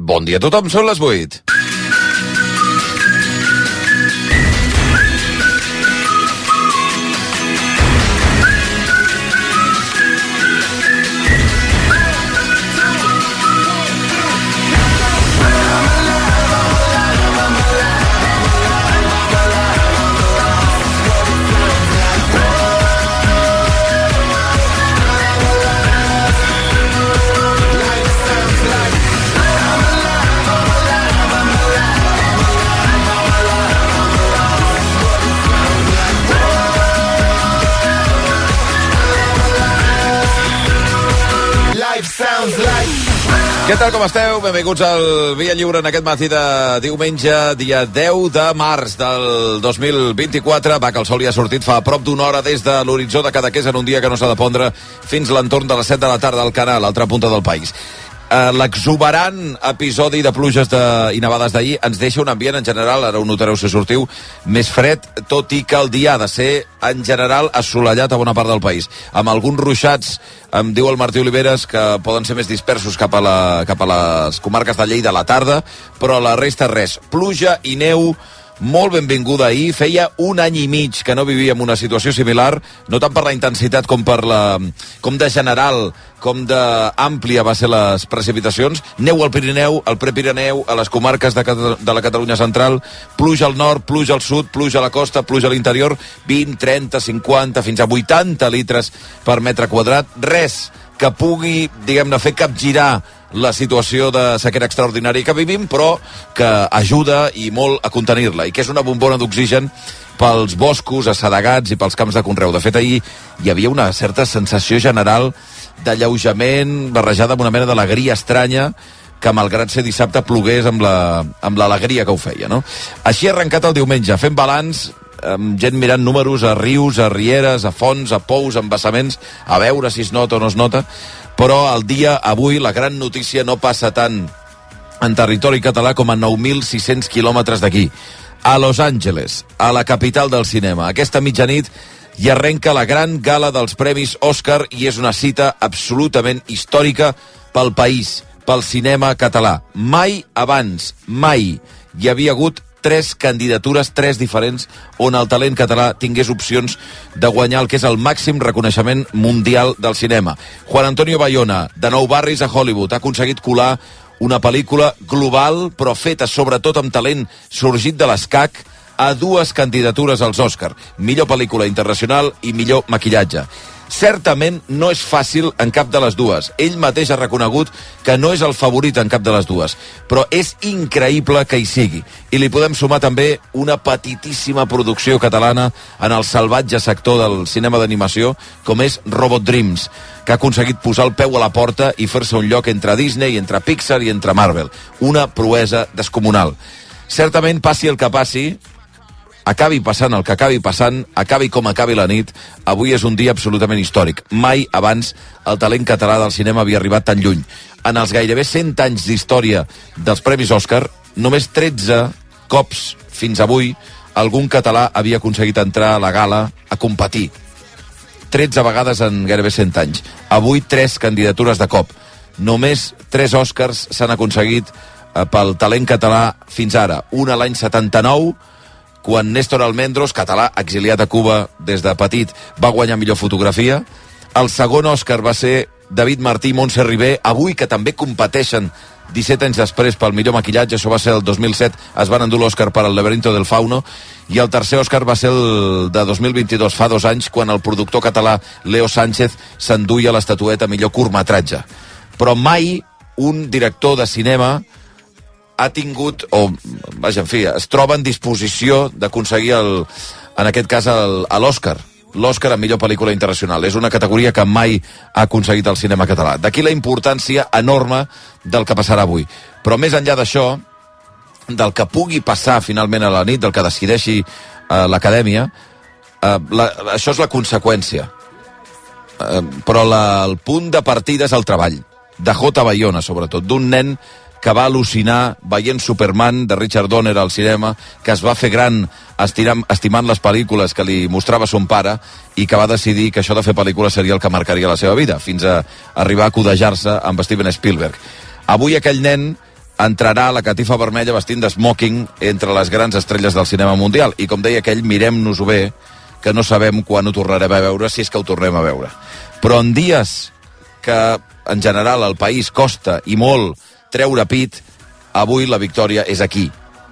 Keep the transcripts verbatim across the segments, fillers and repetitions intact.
Bon dia a tothom, són les vuit. Què tal, com esteu? Benvinguts al Via Lliure en aquest matí de diumenge, dia deu de març del dos mil vint-i-quatre. Va, que el sol ja ha sortit fa prop d'una hora des de l'horitzó de Cadaqués en un dia que no s'ha de pondre fins l'entorn de les set de la tarda al Canal, a l'altra punta del país. Uh, l'exuberant episodi de pluges de, i nevades d'ahir ens deixa un ambient en general, ara ho notareu si sortiu, més fred, tot i que el dia ha de ser en general assolellat a bona part del país, amb alguns ruixats, em diu el Martí Oliveres, que poden ser més dispersos cap a, la, cap a les comarques de Lleida a la tarda, però la resta res, pluja i neu molt benvinguda ahir. Feia un any i mig que no vivíem una situació similar, no tant per la intensitat com per la, com de general, com d'àmplia va ser les precipitacions. Neu al Pirineu, al Prepirineu, a les comarques de, de la Catalunya central, pluja al nord, pluja al sud, pluja a la costa, pluja a l'interior, vint, trenta, cinquanta, fins a vuitanta litres per metre quadrat. Res que pugui, diguem-ne, fer capgirar la situació de sequera extraordinària que vivim, però que ajuda i molt a contenir-la, i que és una bombona d'oxigen pels boscos assedegats i pels camps de conreu. De fet, ahir hi havia una certa sensació general d'alleujament barrejada amb una mena d'alegria estranya, que malgrat ser dissabte plogués amb la, amb l'alegria que ho feia, no? Així ha arrencat el diumenge, fent balanç, amb gent mirant números a rius, a rieres, a fonts, a pous, a embassaments, a veure si es nota o no es nota, però el dia avui la gran notícia no passa tant en territori català com a nou mil sis-cents quilòmetres d'aquí, a Los Angeles, a la capital del cinema. Aquesta mitjanit hi arrenca la gran gala dels Premis Òscar i és una cita absolutament històrica pel país, pel cinema català. Mai abans, mai hi havia hagut tres candidatures, tres diferents, on el talent català tingués opcions de guanyar el que és el màxim reconeixement mundial del cinema. Juan Antonio Bayona, de Nou Barris a Hollywood, ha aconseguit colar una pel·lícula global, però feta sobretot amb talent sorgit de l'escac, a dues candidatures als Òscar, millor pel·lícula internacional i millor maquillatge. Certament no és fàcil en cap de les dues. Ell mateix ha reconegut que no és el favorit en cap de les dues, però és increïble que hi sigui. I li podem sumar també una petitíssima producció catalana en el salvatge sector del cinema d'animació, com és Robot Dreams, que ha aconseguit posar el peu a la porta i fer-se un lloc entre Disney, entre Pixar i entre Marvel. Una proesa descomunal. Certament, passi el que passi, acabi passant el que acabi passant, acabi com acabi la nit, avui és un dia absolutament històric. Mai abans el talent català del cinema havia arribat tan lluny. En els gairebé cent anys d'història dels Premis Òscar, només tretze cops fins avui algun català havia aconseguit entrar a la gala a competir. tretze vegades en gairebé cent anys. Avui, tres candidatures de cop. Només tres Òscars s'han aconseguit pel talent català fins ara. Una l'any setanta-nou, quan Néstor Almendros, català exiliat a Cuba des de petit, va guanyar millor fotografia. El segon Òscar va ser David Martí i Montse Ribé, avui que també competeixen disset anys després pel millor maquillatge, això va ser el dos mil set, es van endur l'Òscar per El laberinto del fauno, i el tercer Òscar va ser el de dos mil vint-i-dos, fa dos anys, quan el productor català Leo Sánchez s'enduia l'estatueta millor curtmetratge. Però mai un director de cinema ha tingut, o, vaja, en fi, es troba en disposició d'aconseguir, el, en aquest cas, l'Òscar. L'Òscar a millor pel·lícula internacional. És una categoria que mai ha aconseguit el cinema català. D'aquí la importància enorme del que passarà avui. Però més enllà d'això, del que pugui passar finalment a la nit, del que decideixi eh, l'acadèmia, eh, la, això és la conseqüència. Eh, però la, el punt de partida és el treball. De J. Bayona, sobretot, d'un nen que va al·lucinar veient Superman de Richard Donner al cinema, que es va fer gran estirant, estimant les pel·lícules que li mostrava son pare i que va decidir que això de fer pel·lícules seria el que marcaria la seva vida, fins a arribar a codejar-se amb Steven Spielberg. Avui aquell nen entrarà la catifa vermella vestint de smoking entre les grans estrelles del cinema mundial. I com deia aquell, mirem-nos-ho bé, que no sabem quan ho tornarem a veure, si és que ho tornem a veure. Però en dies que, en general, el país costa i molt treure pit, avui la victòria és aquí.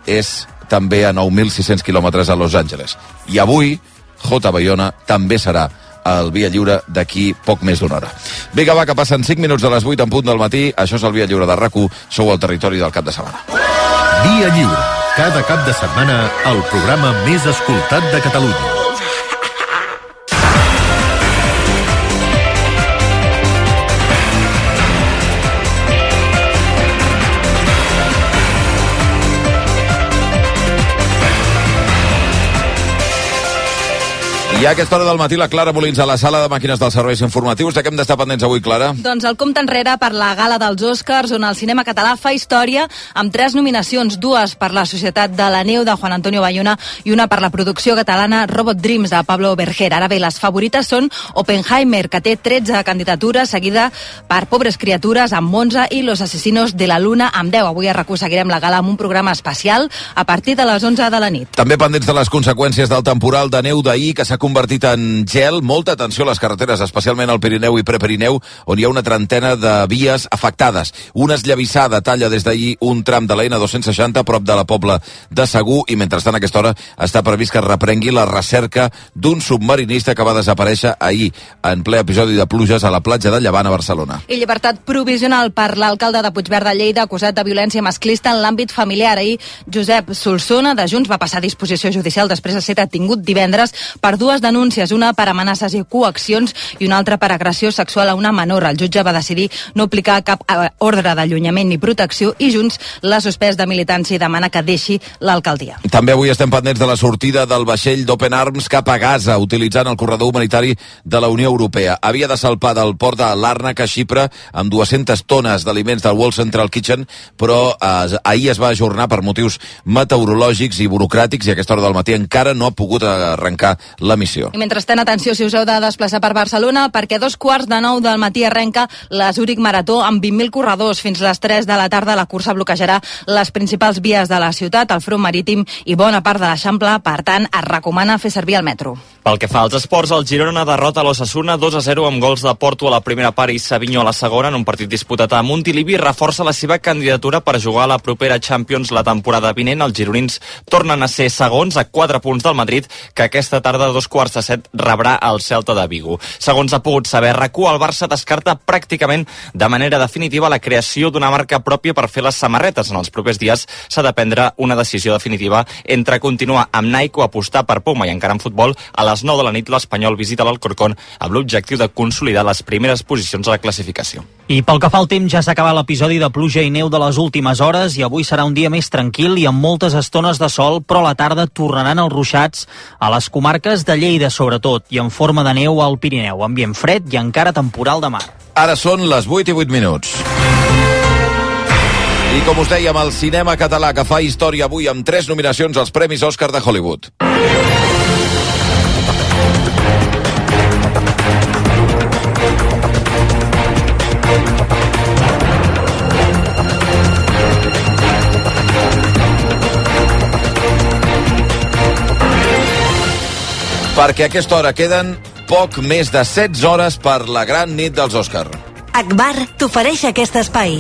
És també a nou mil sis-cents quilòmetres a Los Angeles. I avui, J. Bayona també serà el Via Lliure d'aquí poc més d'una hora. Vinga, va, que passen cinc minuts de les vuit en punt del matí. Això és el Via Lliure de RAC u. Sou al territori del cap de setmana. Via Lliure. Cada cap de setmana, el programa més escoltat de Catalunya. I a aquesta hora del matí la Clara Molins a la sala de màquines dels serveis informatius. De què hem d'estar pendents avui, Clara? Doncs el compte enrere per la gala dels Oscars, on el cinema català fa història amb tres nominacions, dues per la Societat de la Neu de Juan Antonio Bayona i una per la producció catalana Robot Dreams de Pablo Berger. Ara bé, les favorites són Oppenheimer, que té tretze candidatures, seguida per Pobres criatures amb onze i Los asesinos de la luna amb deu. Avui a RAC u seguirem la gala amb un programa especial a partir de les onze de la nit. També pendents de les conseqüències del temporal de neu d'ahir, que s'ha convertit en gel. Molta atenció a les carreteres, especialment al Pirineu i Prepirineu, on hi ha una trentena de vies afectades. Una esllavissada talla des d'ahir un tram de la ena dos-cents seixanta prop de la Pobla de Segur, i mentrestant a aquesta hora està previst que es reprengui la recerca d'un submarinista que va desaparèixer ahir en ple episodi de pluges a la platja de Llevant a Barcelona. I llibertat provisional per l'alcalde de Puigverd de Lleida acusat de violència masclista en l'àmbit familiar. Ahir Josep Solsona de Junts va passar a disposició judicial després de ser detingut divendres per dues denúncies, una per amenaces i coaccions i una altra per agressió sexual a una menor. El jutge va decidir no aplicar cap ordre d'allunyament ni protecció i Junts l'ha suspès de militància i demana que deixi l'alcaldia. També avui estem pendents de la sortida del vaixell d'Open Arms cap a Gaza, utilitzant el corredor humanitari de la Unió Europea. Havia de salpar del port de Làrnaca a Xipre amb dues-centes tones d'aliments del World Central Kitchen, però eh, ahir es va ajornar per motius meteorològics i burocràtics i a aquesta hora del matí encara no ha pogut arrencar la missió. I mentrestant, atenció si us heu de desplaçar per Barcelona, perquè a dos quarts de nou del matí arrenca la Zúrich Marató amb vint mil corredors. Fins les tres de la tarda la cursa bloquejarà les principals vies de la ciutat, el front marítim i bona part de l'Eixample. Per tant, es recomana fer servir el metro. Pel que fa als esports, el Girona derrota l'Osasuna dos a zero amb gols de Porto a la primera part i Savinho a la segona en un partit disputat a Montilivi. Reforça la seva candidatura per jugar a la propera Champions la temporada vinent. Els gironins tornen a ser segons a quatre punts del Madrid, que aquesta tarda a dos quarts de set rebrà el Celta de Vigo. Segons ha pogut saber RAC u, el Barça descarta pràcticament de manera definitiva la creació d'una marca pròpia per fer les samarretes. En els propers dies s'ha de prendre una decisió definitiva entre continuar amb Nike o apostar per Puma. I encara en futbol, a les nou de la nit l'Espanyol visita l'Alcorcón amb l'objectiu de consolidar les primeres posicions a la classificació. I pel que fa al temps, ja s'ha acabat l'episodi de pluja i neu de les últimes hores i avui serà un dia més tranquil i amb moltes estones de sol, però a la tarda tornaran els ruixats a les comarques de Lleida sobretot i en forma de neu al Pirineu. Ambient fred i encara temporal de mar. Ara són les vuit i vuit minuts. I com us dèiem, el cinema català que fa història avui amb tres nominacions als Premis Òscar de Hollywood. Perquè a aquesta hora queden poc més de setze hores per la gran nit dels Òscar. Akbar t'ofereix aquest espai.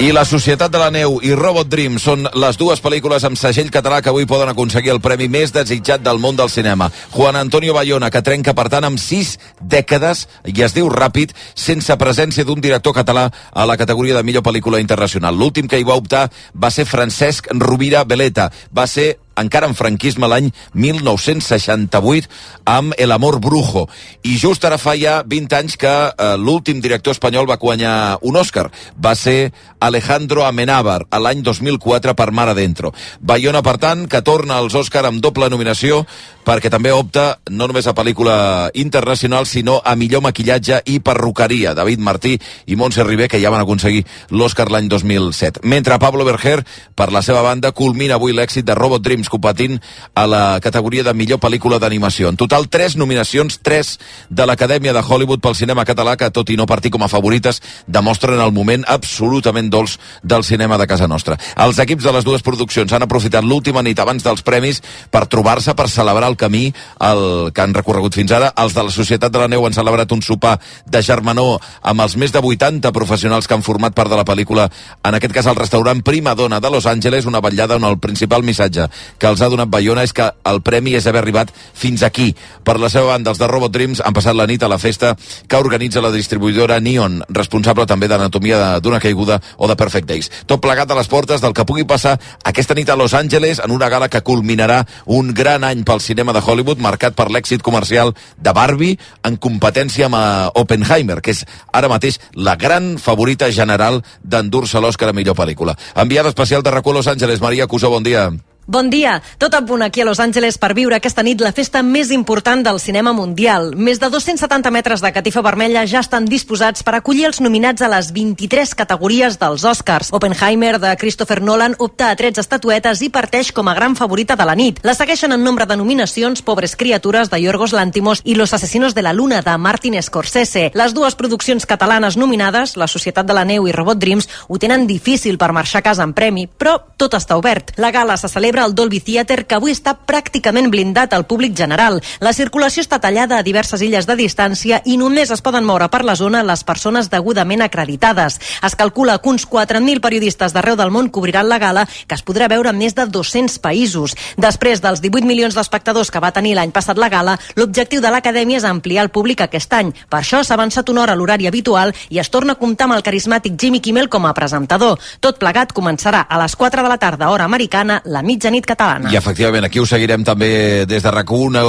I La Societat de la Neu i Robot Dreams són les dues pel·lícules amb segell català que avui poden aconseguir el premi més desitjat del món del cinema. Juan Antonio Bayona, que trenca, per tant, amb sis dècades, i es diu ràpid, sense presència d'un director català a la categoria de millor pel·lícula internacional. L'últim que hi va optar va ser Francesc Rovira Veleta. Va ser encara en franquisme l'any mil nou-cents seixanta-vuit amb El amor brujo. I just ara fa ja vint anys que eh, l'últim director espanyol va guanyar un Òscar. Va ser Alejandro Amenábar, a l'any dos mil quatre per Mar Adentro. Bayona, per tant, que torna als Òscar amb doble nominació, perquè també opta no només a pel·lícula internacional, sinó a millor maquillatge i perruqueria. David Martí i Montse Ribé, que ja van aconseguir l'Òscar l'any dos mil set. Mentre Pablo Berger, per la seva banda, culmina avui l'èxit de Robot Dreams, anys competint a la categoria de millor pel·lícula d'animació. En total, tres nominacions, tres de l'Acadèmia de Hollywood pel cinema català, que tot i no partir com a favorites, demostren el moment absolutament dolç del cinema de casa nostra. Els equips de les dues produccions han aprofitat l'última nit abans dels premis per trobar-se, per celebrar el camí el que han recorregut fins ara. Els de la Societat de la Neu han celebrat un sopar de germanor amb els més de vuitanta professionals que han format part de la pel·lícula, en aquest cas al restaurant Prima Donna de Los Angeles, una vetllada on el principal missatge que els ha donat Bayona és que el premi és haver arribat fins aquí. Per la seva banda, els de Robot Dreams han passat la nit a la festa que organitza la distribuïdora Neon, responsable també d'Anatomia d'una caiguda o de Perfect Days. Tot plegat a les portes del que pugui passar aquesta nit a Los Angeles, en una gala que culminarà un gran any pel cinema de Hollywood, marcat per l'èxit comercial de Barbie, en competència amb Oppenheimer, que és ara mateix la gran favorita general d'endur-se l'Oscar a millor pel·lícula. Enviada especial de R A C U a Los Angeles, Maria Cusó, bon dia. Bon dia. Tot a punt aquí a Los Angeles per viure aquesta nit la festa més important del cinema mundial. Més de dos-cents setanta metres de catifa vermella ja estan disposats per acollir els nominats a les vint-i-tres categories dels Oscars. Oppenheimer, de Christopher Nolan, opta a tretze estatuetes i parteix com a gran favorita de la nit. La segueixen en nombre de nominacions Pobres criatures, de Yorgos Lanthimos, i Los asesinos de la luna, de Martin Scorsese. Les dues produccions catalanes nominades, La Societat de la Neu i Robot Dreams, ho tenen difícil per marxar a casa en premi, però tot està obert. La gala se celebra al Dolby Theatre, que avui està pràcticament blindat al públic general. La circulació està tallada a diverses illes de distància i només es poden moure per la zona les persones degudament acreditades. Es calcula que uns quatre mil periodistes d'arreu del món cobriran la gala, que es podrà veure en més de dos-cents països. Després dels divuit milions d'espectadors que va tenir l'any passat la gala, l'objectiu de l'Acadèmia és ampliar el públic aquest any. Per això s'ha avançat una hora a l'horari habitual i es torna a comptar amb el carismàtic Jimmy Kimmel com a presentador. Tot plegat començarà a les quatre de la tarda, hora americana, la mitjanit catalana. I efectivament, aquí ho seguirem també des de R A C U, una,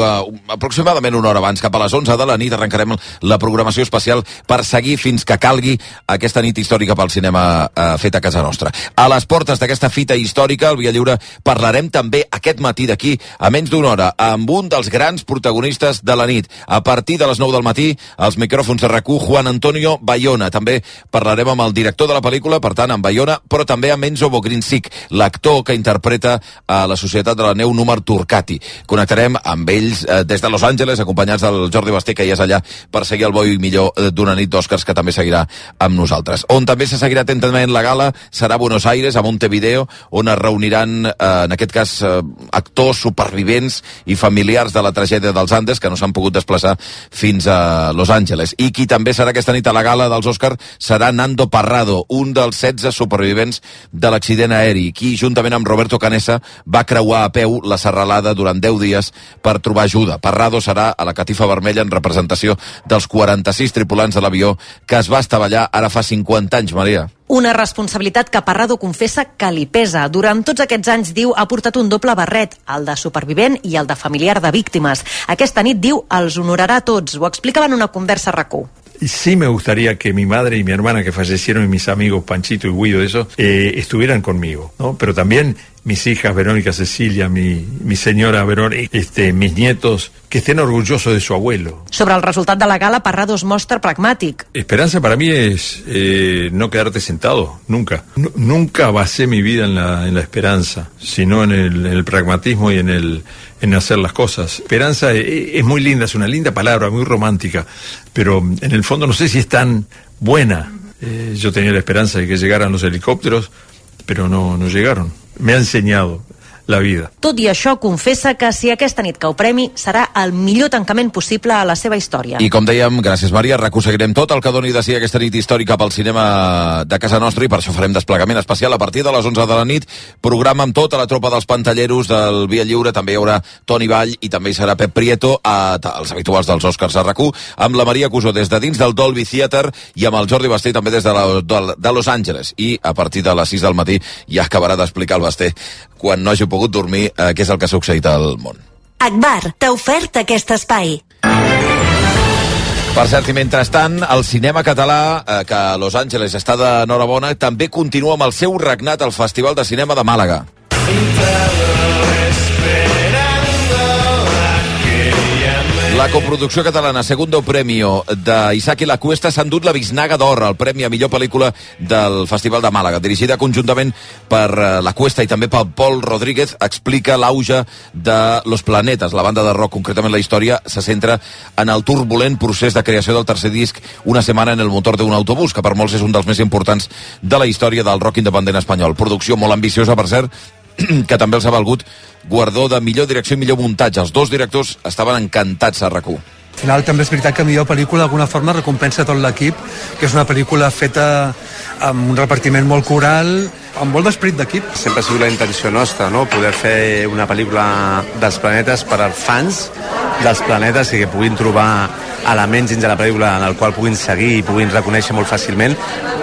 aproximadament una hora abans, cap a les onze de la nit, arrencarem la programació especial per seguir fins que calgui aquesta nit històrica pel cinema eh, fet a casa nostra. A les portes d'aquesta fita històrica, al Via Lliure, parlarem també aquest matí d'aquí, a menys d'una hora, amb un dels grans protagonistes de la nit. A partir de les nou del matí, als micròfons de R A C U, Juan Antonio Bayona. També parlarem amb el director de la pel·lícula, per tant, amb Bayona, però també amb Enzo Bogrinsic, l'actor que interpreta a la Societat de la Neu, Númer Turcati. Connectarem amb ells eh, des de Los Angeles, acompanyats del Jordi Basté, que ja és allà per seguir el bo i millor d'una nit d'Oscars, que també seguirà amb nosaltres. On també se seguirà atentament la gala serà a Buenos Aires, a Montevideo, on es reuniran, eh, en aquest cas, eh, actors, supervivents i familiars de la tragèdia dels Andes, que no s'han pogut desplaçar fins a Los Angeles. I qui també serà aquesta nit a la gala dels Oscars serà Nando Parrado, un dels setze supervivents de l'accident aeri, qui, juntament amb Roberto Canessa, va creuar a peu la serralada durant deu dies per trobar ajuda. Parrado serà a la catifa vermella en representació dels quaranta-sis tripulants de l'avió que es va estavellar ara fa cinquanta anys, Maria. Una responsabilitat que Parrado confessa que li pesa. Durant tots aquests anys, diu, ha portat un doble barret, el de supervivent i el de familiar de víctimes. Aquesta nit, diu, els honorarà a tots. Ho explicava en una conversa a R A C U. Y sí me gustaría que mi madre y mi hermana que fallecieron y mis amigos Panchito y Guido, eso, eh, estuvieran conmigo, ¿no? Pero también mis hijas Verónica, Cecilia, mi, mi señora Verónica, este, mis nietos, que estén orgullosos de su abuelo. Sobre el resultat de la gala, Parrado es mostra pragmàtic. Esperanza para mí es eh, no quedarte sentado, nunca. N- nunca basé mi vida en la, en la esperanza, sino en el, en el pragmatismo y en el en hacer las cosas. Esperanza es, es muy linda, es una linda palabra, muy romántica, pero en el fondo no sé si es tan buena. Eh, yo tenía la esperanza de que llegaran los helicópteros, pero no, no llegaron. Me ha enseñado la vida. Tot i això, confessa que si aquesta nit cau premi serà el millor tancament possible a la seva història. I com dèiem, gràcies Maria, reconseguirem tot el que doni de si aquesta nit històrica pel cinema de casa nostra, i per això farem desplegament especial a partir de les onze de la nit, programa amb tota la tropa dels pantalleros del Via Lliure. També hi haurà Toni Vall i també hi serà Pep Prieto, a, els habituals dels Oscars a R A C U, amb la Maria Cusó des de dins del Dolby Theatre i amb el Jordi Basté també des de, la, de, de Los Angeles. I a partir de les sis del matí ja acabarà d'explicar el Basté, quan no hagi pogut dormir, eh, què és el que ha succeït al món. Akbar t'ha ofert aquest espai. Per cert, i mentrestant, el cinema català, eh, que a Los Angeles està d'enhorabona, també continua amb el seu regnat al Festival de Cinema de Màlaga. La coproducció catalana Segundo Premio d'Isaac i la Cuesta s'ha endut la Biznaga d'Or, el premi a millor pel·lícula del Festival de Màlaga. Dirigida conjuntament per la Cuesta i també pel Pol Rodríguez, explica l'auge de Los Planetes. La banda de rock, concretament la història, se centra en el turbulent procés de creació del tercer disc Una setmana en el motor d'un autobús, que per molts és un dels més importants de la història del rock independent espanyol. Producció molt ambiciosa, per cert, que també els ha valgut guardó de millor direcció i millor muntatge. Els dos directors estaven encantats a RAC1. Al final també és veritat que millor pel·lícula d'alguna forma recompensa tot l'equip, que és una pel·lícula feta amb un repartiment molt coral, amb molt d'esperit d'equip. Sempre ha sigut la intenció nostra, no? Poder fer una pel·lícula dels planetes per als fans dels planetes i que puguin trobar elements dins de la pel·lícula en el qual puguin seguir i puguin reconèixer molt fàcilment,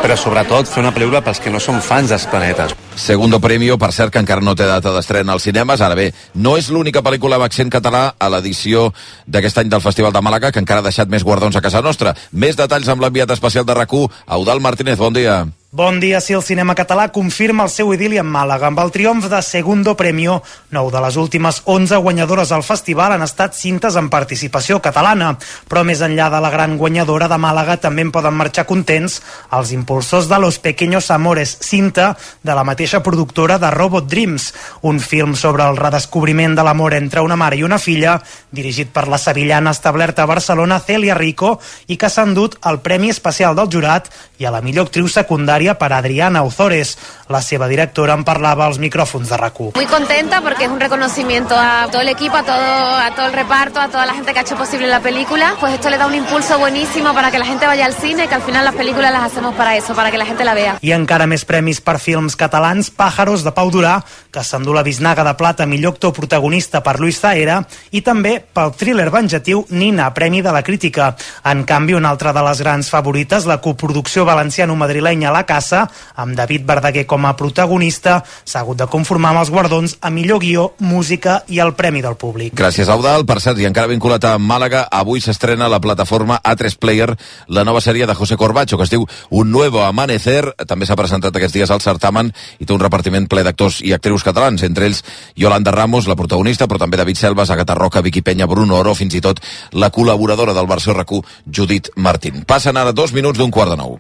però sobretot fer una pel·lícula pels que no són fans dels planetes. Segundo Premio, per cert, que encara no té data d'estrena als cinemes. Ara bé, no és l'única pel·lícula amb accent català a l'edició d'aquest any del Festival de Màlaga, que encara ha deixat més guardons a casa nostra. Més detalls amb l'enviat especial de RAC1, Eudald Martínez. Bon dia. Bon dia. Si el cinema català confirma el seu idili en Màlaga amb el triomf de Segundo Premio, nou de les últimes onze guanyadores al festival han estat cintes en participació catalana. Però més enllà de la gran guanyadora de Màlaga també en poden marxar contents els impulsors de Los Pequeños Amores, cinta de la mateixa productora de Robot Dreams, un film sobre el redescobriment de l'amor entre una mare i una filla, dirigit per la sevillana establerta a Barcelona Celia Rico, i que s'ha endut el Premi Especial del Jurat i a la millor actriu secundària per Adriana Ozores. La seva directora en parlava als micrófonos de RAC1. Muy contenta porque es un reconocimiento a todo el equipo, a todo, a todo el reparto, a toda la gente que ha hecho posible la película. Pues esto le da un impulso buenísimo para que la gente vaya al cine, que al final las películas las hacemos para eso, para que la gente la vea. I encara més premis per films catalans. Pájaros, de Pau Durà, que s'endú la Biznaga de Plata millor actor protagonista per Luis Zahera, i també pel thriller venjatiu Nina, premi de la crítica. En canvi, una altra de les grans favorites, la coproducció valenciano-madrilenya La Casa, amb David Verdaguer com a protagonista, s'ha hagut de conformar amb els guardons a millor guió, música i el premi del públic. Gràcies, Eudald. Per cert, i encara vinculat a Màlaga, avui s'estrena a la plataforma A tres Player la nova sèrie de José Corbacho, que es diu Un Nuevo Amanecer. També s'ha presentat aquests dies al certamen i té un repartiment ple d'actors i actrius catalans, entre ells Yolanda Ramos, la protagonista, però també David Selvas, Agatha Roca, Vicky Peña, Bruno Oro, fins i tot la col·laboradora del versió RAC1, Judit Martín. Passen ara dos minuts d'un quart de nou.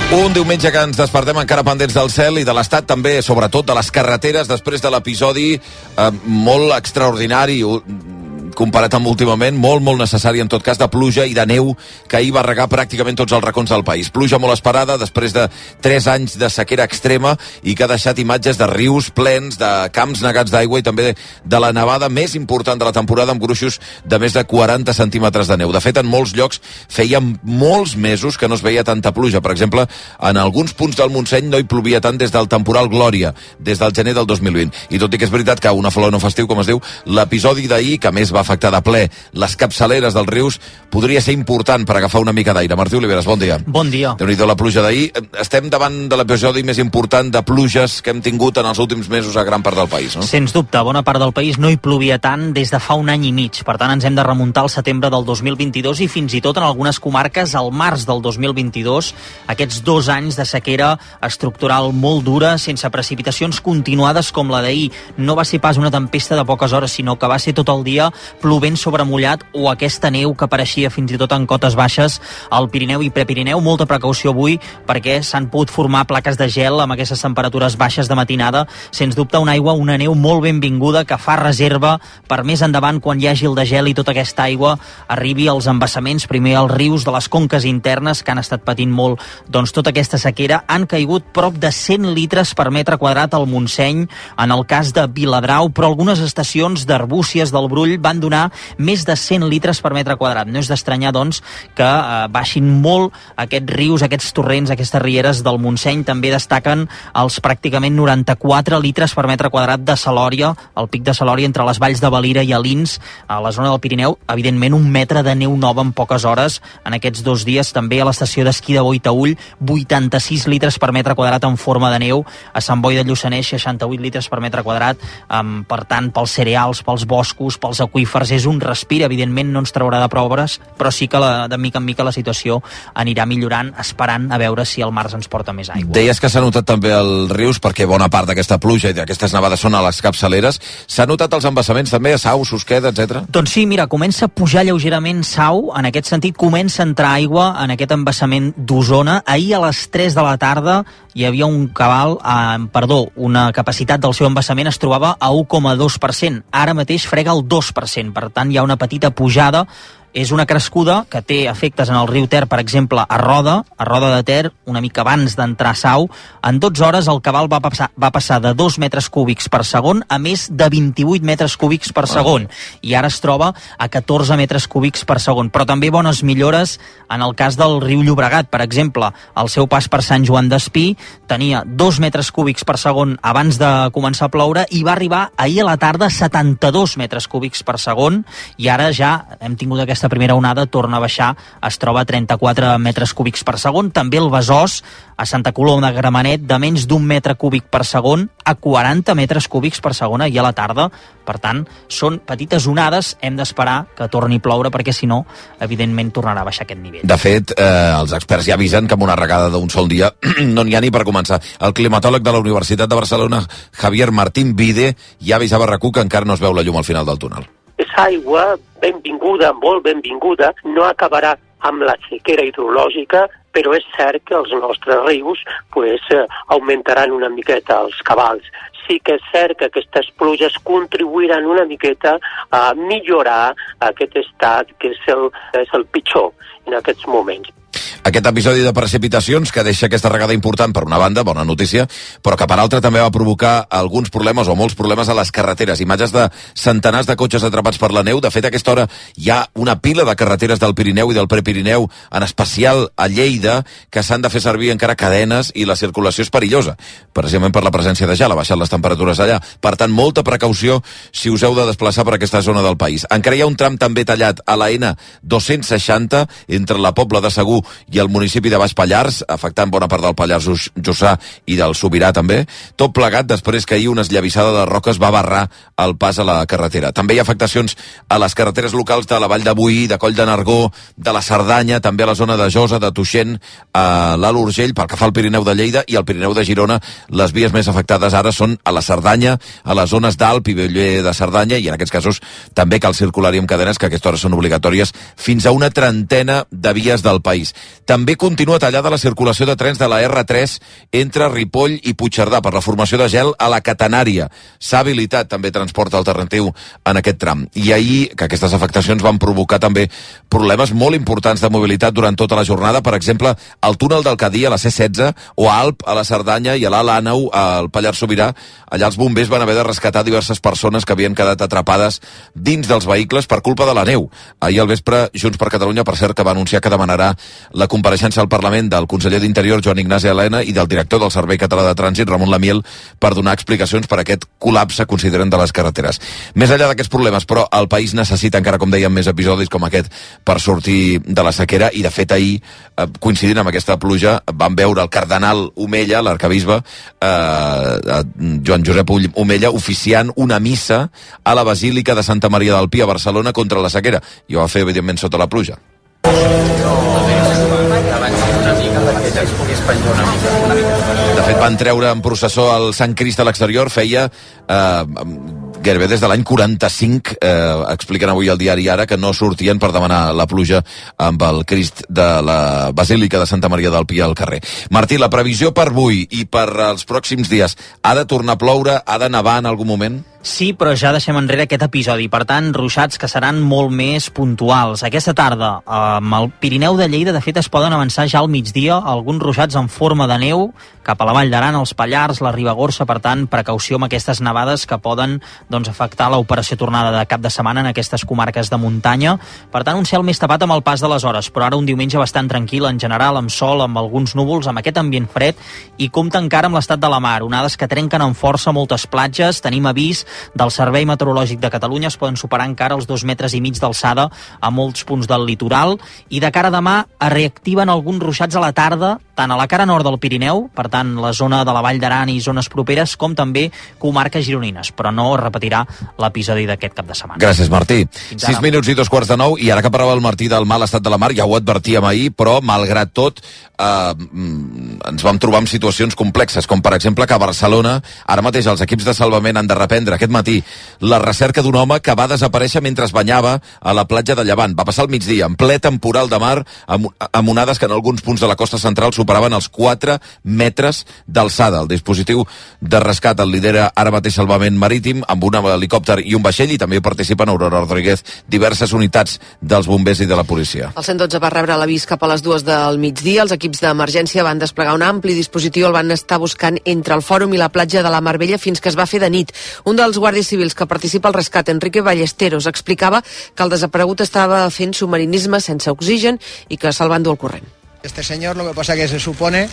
Un diumenge que ens despertem encara pendents del cel i de l'estat també, sobretot de les carreteres, després de l'episodi eh, molt extraordinari, comparat amb últimament, molt, molt necessari, en tot cas, de pluja i de neu que ahir va regar pràcticament tots els racons del país. Pluja molt esperada després de tres anys de sequera extrema i que ha deixat imatges de rius plens, de camps negats d'aigua i també de la nevada més important de la temporada, amb gruixos de més de quaranta centímetres de neu. De fet, en molts llocs feia molts mesos que no es veia tanta pluja. Per exemple, en alguns punts del Montseny no hi plovia tant des del temporal Glòria, des del gener del dos mil vint. I tot i que és veritat que una flor no festiu, com es diu, l'episodi d'ahir, que més va afectar de ple les capçaleres dels rius, podria ser important per agafar una mica d'aire. Martí Oliveres, bon dia. Bon dia. Déu-n'hi-do la pluja d'ahir. Estem davant de l'episodi més important de pluges que hem tingut en els últims mesos a gran part del país, no? Sens dubte, bona part del país no hi plovia tant des de fa un any i mig. Per tant, ens hem de remuntar al setembre del dos mil vint-i-dos i fins i tot en algunes comarques al març del dos mil vint-i-dos, aquests dos anys de sequera estructural molt dura, sense precipitacions continuades com la d'ahir. No va ser pas una tempesta de poques hores, sinó que va ser tot el dia plovent sobre mullat, o aquesta neu que apareixia fins i tot en cotes baixes al Pirineu i Prepirineu. Molta precaució avui perquè s'han pogut formar plaques de gel amb aquestes temperatures baixes de matinada. Sens dubte una aigua, una neu molt benvinguda que fa reserva per més endavant, quan hi hagi el de gel i tota aquesta aigua arribi als embassaments, primer als rius de les conques internes que han estat patint molt doncs tota aquesta sequera. Han caigut prop de cent litres per metre quadrat al Montseny, en el cas de Viladrau, però algunes estacions d'Arbúcies del Brull van donar més de cent litres per metre quadrat. No és d'estranyar, doncs, que eh, baixin molt aquests rius, aquests torrents, aquestes rieres del Montseny. També destaquen els pràcticament noranta-quatre litres per metre quadrat de Salòria, el pic de Salòria entre les valls de Valira i Alins, a la zona del Pirineu. Evidentment, un metre de neu nova en poques hores en aquests dos dies. També a l'estació d'esquí de Boitaüll, vuitanta-sis litres per metre quadrat en forma de neu. A Sant Boi de Lluçanès, seixanta-vuit litres per metre quadrat. Um, per tant, pels cereals, pels boscos, pels aqüífers, aqüífers és un respir, evidentment no ens traurà de proves, però sí que la, de mica en mica la situació anirà millorant, esperant a veure si el març ens porta més aigua. Deies que s'ha notat també als rius, perquè bona part d'aquesta pluja i d'aquestes nevades són a les capçaleres. S'ha notat els embassaments també, a Sau, Susqueda, etcètera? Doncs sí, mira, comença a pujar lleugerament Sau, en aquest sentit comença a entrar aigua en aquest embassament d'Osona. Ahir a les tres de la tarda hi havia un cabal, eh, perdó, una capacitat del seu embassament es trobava a u coma dos per cent. Ara mateix frega el dos per cent, per tant hi ha una petita pujada. És una crescuda que té efectes en el riu Ter, per exemple, a Roda, a Roda de Ter, una mica abans d'entrar a Sau. En dotze hores el cabal va passar, va passar de dos metres cúbics per segon a més de vint-i-vuit metres cúbics per segon. I ara es troba a catorze metres cúbics per segon. Però també bones millores en el cas del riu Llobregat. Per exemple, al seu pas per Sant Joan d'Espí tenia dos metres cúbics per segon abans de començar a ploure i va arribar ahir a la tarda a setanta-dos metres cúbics per segon i ara ja hem tingut aquesta Aquesta primera onada torna a baixar, es troba a trenta-quatre metres cúbics per segon. També el Besòs, a Santa Coloma de Gramenet, de menys d'un metre cúbic per segon a quaranta metres cúbics per segon ahir a la tarda. Per tant, són petites onades, hem d'esperar que torni a ploure perquè si no, evidentment tornarà a baixar aquest nivell. De fet, eh, els experts ja avisen que amb una regada d'un sol dia no n'hi ha ni per començar. El climatòleg de la Universitat de Barcelona, Javier Martín Vide, ja avisava a RAC u que encara no es veu la llum al final del túnel. És aigua benvinguda, molt benvinguda, no acabarà amb la sequera hidrològica, però és cert que els nostres rius pues, eh, augmentaran una miqueta els cabals. Sí que és cert que aquestes pluges contribuiran una miqueta a millorar aquest estat que és el, és el pitjor en aquests moments. Aquest episodi de precipitacions que deixa aquesta regada important per una banda, bona notícia, però que per altra també va provocar alguns problemes o molts problemes a les carreteres. Imatges de centenars de cotxes atrapats per la neu. De fet, a aquesta hora hi ha una pila de carreteres del Pirineu i del Prepirineu, en especial a Lleida, que s'han de fer servir encara cadenes i la circulació és perillosa, precisament per la presència de gel, ha baixat les temperatures allà. Per tant, molta precaució si us heu de desplaçar per aquesta zona del país. Encara hi ha un tram també tallat a la ena dos-cents seixanta entre la Pobla de Segur i el municipi de Baix Pallars, afectant bona part del Pallars Jussà i del Sobirà també, tot plegat després que ahir una esllavissada de roques va barrar el pas a la carretera. També hi ha afectacions a les carreteres locals de la Vall de Boí, de Coll de Nargó, de la Cerdanya, també a la zona de Josa, de Tuixent, a l'Alt Urgell, pel que fa al Pirineu de Lleida i al Pirineu de Girona. Les vies més afectades ara són a la Cerdanya, a les zones d'Alp i Bellver de Cerdanya, i en aquests casos també cal circular-hi amb cadenes, que a aquesta hora són obligatòries fins a una trentena de vies del país. També continua tallada la circulació de trens de la erre tres entre Ripoll i Puigcerdà per la formació de gel a la Catenària. S'ha habilitat també transport alternatiu en aquest tram. I ahir que aquestes afectacions van provocar també problemes molt importants de mobilitat durant tota la jornada. Per exemple, al túnel del Cadí a la ce setze o a Alp a la Cerdanya i a l'Alt Àneu al Pallars Sobirà. Allà els bombers van haver de rescatar diverses persones que havien quedat atrapades dins dels vehicles per culpa de la neu. Ahir al vespre, Junts per Catalunya, per cert, que va anunciar que demanarà la compareixença al Parlament del conseller d'Interior, Joan Ignasi Elena, i del director del Servei Català de Trànsit, Ramon Lamiel, per donar explicacions per aquest col·lapse, consideren, de les carreteres. Més enllà d'aquests problemes, però, el país necessita encara, com dèiem, més episodis com aquest per sortir de la sequera, i de fet ahir, eh, coincidint amb aquesta pluja, vam veure el cardenal Omella, l'arcabisbe, eh, Joan Josep Omella, oficiant una missa a la Basílica de Santa Maria del Pi a Barcelona contra la sequera, i ho va fer, evidentment, sota la pluja. De fet, van treure en processó el Sant Crist a l'exterior, feia eh, gairebé des de l'any quaranta-cinc, eh, expliquen avui al diari Ara, que no sortien per demanar la pluja amb el Crist de la Basílica de Santa Maria del Pi al carrer. Martí, la previsió per avui i per als pròxims dies, ha de tornar a ploure, ha de nevar en algun moment? Sí, però ja deixem enrere aquest episodi. Per tant, ruixats que seran molt més puntuals. Aquesta tarda, amb el Pirineu de Lleida, de fet, es poden avançar ja al migdia alguns ruixats en forma de neu cap a la Vall d'Aran, els Pallars, la Ribagorça. Per tant, precaució amb aquestes nevades que poden doncs, afectar l'operació tornada de cap de setmana en aquestes comarques de muntanya. Per tant, un cel més tapat amb el pas de les hores, però ara un diumenge bastant tranquil en general, amb sol, amb alguns núvols, amb aquest ambient fred, i compta encara amb l'estat de la mar. Onades que trenquen amb força moltes platges. Tenim avís del Servei Meteorològic de Catalunya, es poden superar encara els dos metres i mig d'alçada a molts punts del litoral, i de cara a demà es reactiven alguns ruixats a la tarda, tant a la cara nord del Pirineu, per tant la zona de la Vall d'Aran i zones properes, com també comarques gironines, però no, repeteixo, repetirà l'episodi d'aquest cap de setmana. Gràcies, Martí. Sis minuts i dos quarts de nou, i ara que parlava el Martí del mal estat de la mar, ja ho advertíem ahir, però malgrat tot eh, ens vam trobar en situacions complexes, com per exemple que a Barcelona ara mateix els equips de salvament han de reprendre aquest matí la recerca d'un home que va desaparèixer mentre es banyava a la platja de Llevant. Va passar al migdia, en ple temporal de mar, amb, amb onades que en alguns punts de la costa central superaven els quatre metres d'alçada. El dispositiu de rescat el lidera ara mateix Salvament Marítim, amb un helicòpter i un vaixell, i també participen Aurora Rodríguez, diverses unitats dels bombers i de la policia. El cent dotze va rebre l'avís cap a les dues del migdia. Els equips d'emergència van desplegar un ampli dispositiu, el van estar buscant entre el fòrum i la platja de la Mar Bella fins que es va fer de nit. Un dels guàrdies civils que participa al rescat, Enrique Ballesteros, explicava que el desaparegut estava fent submarinisme sense oxigen i que se'l va endur al corrent. Este señor, lo que pasa que se supone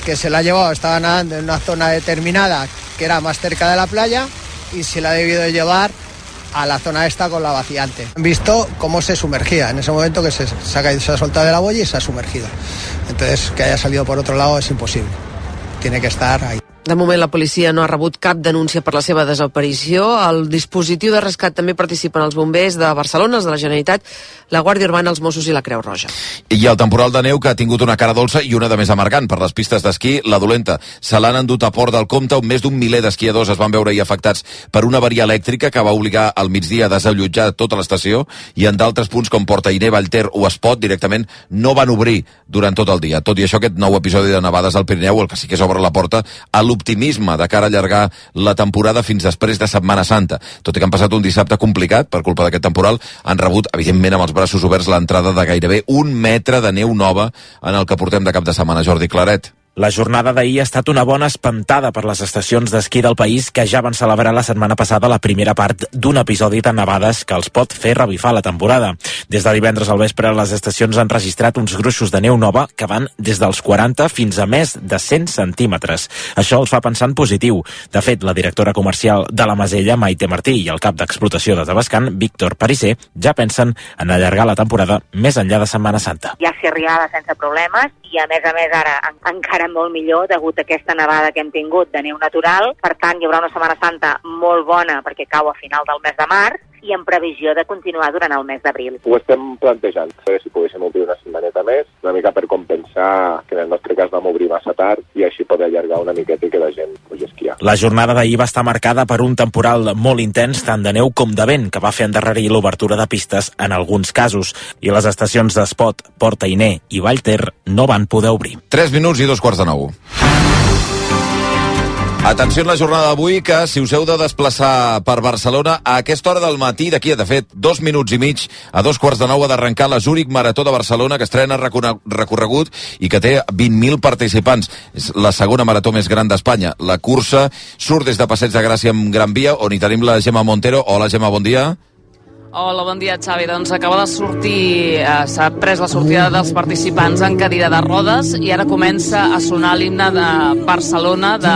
que se la ha llevado, estaba nadando en una zona determinada que era más cerca de la playa y se la ha debido llevar a la zona esta con la vaciante. Han visto cómo se sumergía, en ese momento que se, se, ha, caído, se ha soltado de la boya y se ha sumergido. Entonces, que haya salido por otro lado es imposible. Tiene que estar ahí. De moment, la policia no ha rebut cap denúncia per la seva desaparició. Al dispositiu de rescat també participen els bombers de Barcelona, els de la Generalitat, la Guàrdia Urbana, els Mossos i la Creu Roja. I el temporal de neu que ha tingut una cara dolça i una de més amargant per les pistes d'esquí, la dolenta. Se l'han endut a Port del Comte, on més d'un miler d'esquiadors es van veure hi afectats per una avaria elèctrica que va obligar al migdia a desallotjar tota l'estació, i en d'altres punts com Portainer, Vallter o Espot directament no van obrir durant tot el dia. Tot i això, aquest nou episodi de nevades al Pirineu, el que sí que s'obre la porta a l'optimisme de cara a allargar la temporada fins després de Setmana Santa. Tot i que han passat un dissabte complicat per culpa d'aquest temporal, han rebut, evidentment, amb els braços oberts l'entrada de gairebé un metre de neu nova en el que portem de cap de setmana. Jordi Claret. La jornada d'ahir ha estat una bona espantada per les estacions d'esquí del país que ja van celebrar la setmana passada la primera part d'un episodi de nevades que els pot fer revifar la temporada. Des de divendres al vespre, les estacions han registrat uns gruixos de neu nova que van des dels quaranta fins a més de cent centímetres. Això els fa pensar en positiu. De fet, la directora comercial de la Masella, Maite Martí, i el cap d'explotació de Tavascan, Víctor Parisser, ja pensen en allargar la temporada més enllà de Setmana Santa. Ja s'hi arribava sense problemes i, a més a més, ara encara molt millor degut a aquesta nevada que hem tingut de neu natural. Per tant, hi haurà una Setmana Santa molt bona perquè cau a final del mes de març i en previsió de continuar durant el mes d'abril. Ho estem plantejant, si poguéssim obrir una setmaneta més, una mica per compensar que en el nostre cas vam obrir massa tard i així poder allargar una miqueta i que la gent pugui esquiar. La jornada d'ahir va estar marcada per un temporal molt intens, tant de neu com de vent, que va fer endarrerir l'obertura de pistes en alguns casos, i les estacions d'Espot, Portainer i Vallter no van poder obrir. Tres minuts i dos quarts de nou. Atenció en la jornada d'avui, que si us heu de desplaçar per Barcelona a aquesta hora del matí, d'aquí de fet dos minuts i mig a dos quarts de nou ha d'arrencar la Zúrich Marató de Barcelona, que estrena recorregut i que té vint mil participants. És la segona marató més gran d'Espanya. La cursa surt des de Passeig de Gràcia amb Gran Via, on hi tenim la Gemma Montero. Hola, Gemma, bon dia. Hola, bon dia, Xavi. Doncs acaba de sortir, eh, s'ha pres la sortida dels participants en cadira de rodes i ara comença a sonar l'himne de Barcelona de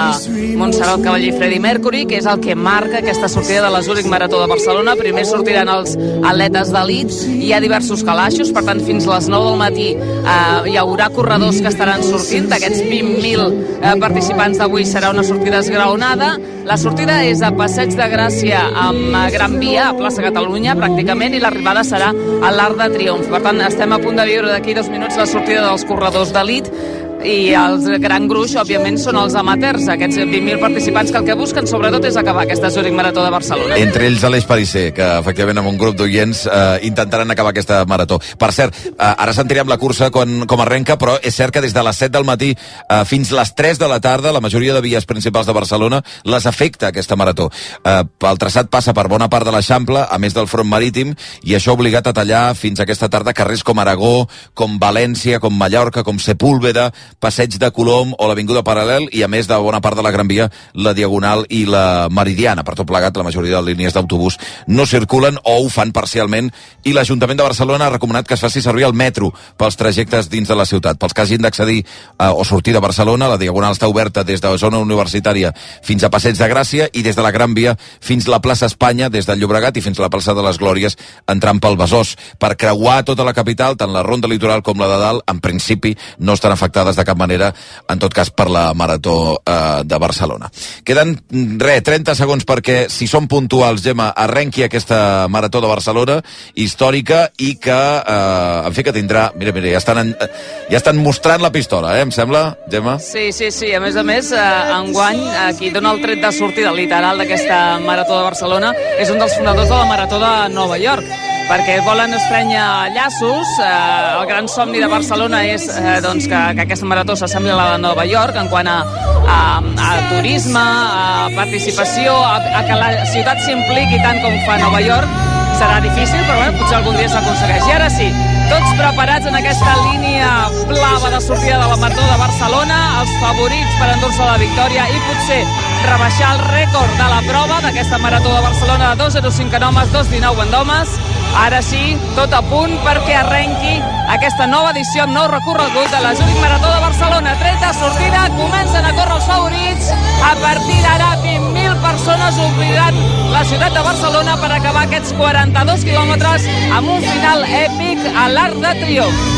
Montserrat Caballé i Freddie Mercury, que és el que marca aquesta sortida de la Zúrich Marató de Barcelona. Primer sortiran els atletes d'elit, hi ha diversos calaixos, per tant, fins a les nou del matí eh, hi haurà corredors que estaran sortint. D'aquests vint mil eh, participants d'avui serà una sortida esgraonada. La sortida és a Passeig de Gràcia amb Gran Via, a plaça Catalunya, pràcticament, i l'arribada serà a l'Arc de Triomf. Per tant, estem a punt de viure d'aquí dos minuts la sortida dels corredors d'elit, i el gran gruix, òbviament, són els amateurs, aquests vint mil participants que el que busquen sobretot és acabar aquesta Zúrich Marató de Barcelona. Entre ells Aleix Parisser, que efectivament amb un grup d'oients eh, intentaran acabar aquesta marató. Per cert, eh, ara sentirem la cursa com, com arrenca, però és cert que des de les set del matí eh, fins les tres de la tarda, la majoria de vies principals de Barcelona les afecta aquesta marató. Eh, el traçat passa per bona part de l'Eixample, a més del front marítim, i això ha obligat a tallar fins aquesta tarda carrers com Aragó, com València, com Mallorca, com Sepúlveda, Passeig de Colom o l'Avinguda Paral·lel, i a més de bona part de la Gran Via, la Diagonal i la Meridiana. Per tot plegat, la majoria de línies d'autobús no circulen o ho fan parcialment, i l'Ajuntament de Barcelona ha recomanat que es faci servir el metro pels trajectes dins de la ciutat. Pels que hagin d'accedir eh, o sortir de Barcelona, la Diagonal està oberta des de la zona universitària fins a Passeig de Gràcia i des de la Gran Via fins a la plaça Espanya, des del Llobregat i fins a la plaça de les Glòries, entrant pel Besòs. Per creuar tota la capital, tant la ronda litoral com la de dalt, en principi no estan afectades de cap manera, en tot cas per la Marató eh, de Barcelona. Queden, re, trenta segons perquè, si som puntuals, Gemma, arrenqui aquesta Marató de Barcelona, històrica, i que, eh, en fi, que tindrà... Mira, mira, ja estan, en, ja estan mostrant la pistola, eh, em sembla, Gemma? Sí, sí, sí. A més a més, eh, enguany, eh, qui dona el tret de sortida literal d'aquesta Marató de Barcelona és un dels fundadors de la Marató de Nova York, perquè volen estrènyer llaços. Eh, el gran somni de Barcelona és eh, doncs que, que aquesta marató s'assembli a la de Nova York en quant a, a, a turisme, a participació, a, a que la ciutat s'impliqui tant com fa Nova York. Serà difícil, però bueno, potser algun dia s'aconsegueix. I ara sí, tots preparats en aquesta línia blava de sortida de la Marató de Barcelona, els favorits per endur-se la victòria i potser rebaixar el rècord de la prova d'aquesta Marató de Barcelona de dos zero cinc en homes, dos dinou en homes. Ara sí, tot a punt perquè arrenqui aquesta nova edició amb nou recorregut de la Zurich Marató de Barcelona. Tret de sortida, comencen a córrer els favorits. A partir d'ara, vint mil persones ompliran la ciutat de Barcelona per acabar aquests quaranta-dos quilòmetres amb un final èpic a l'Arc de Triomf.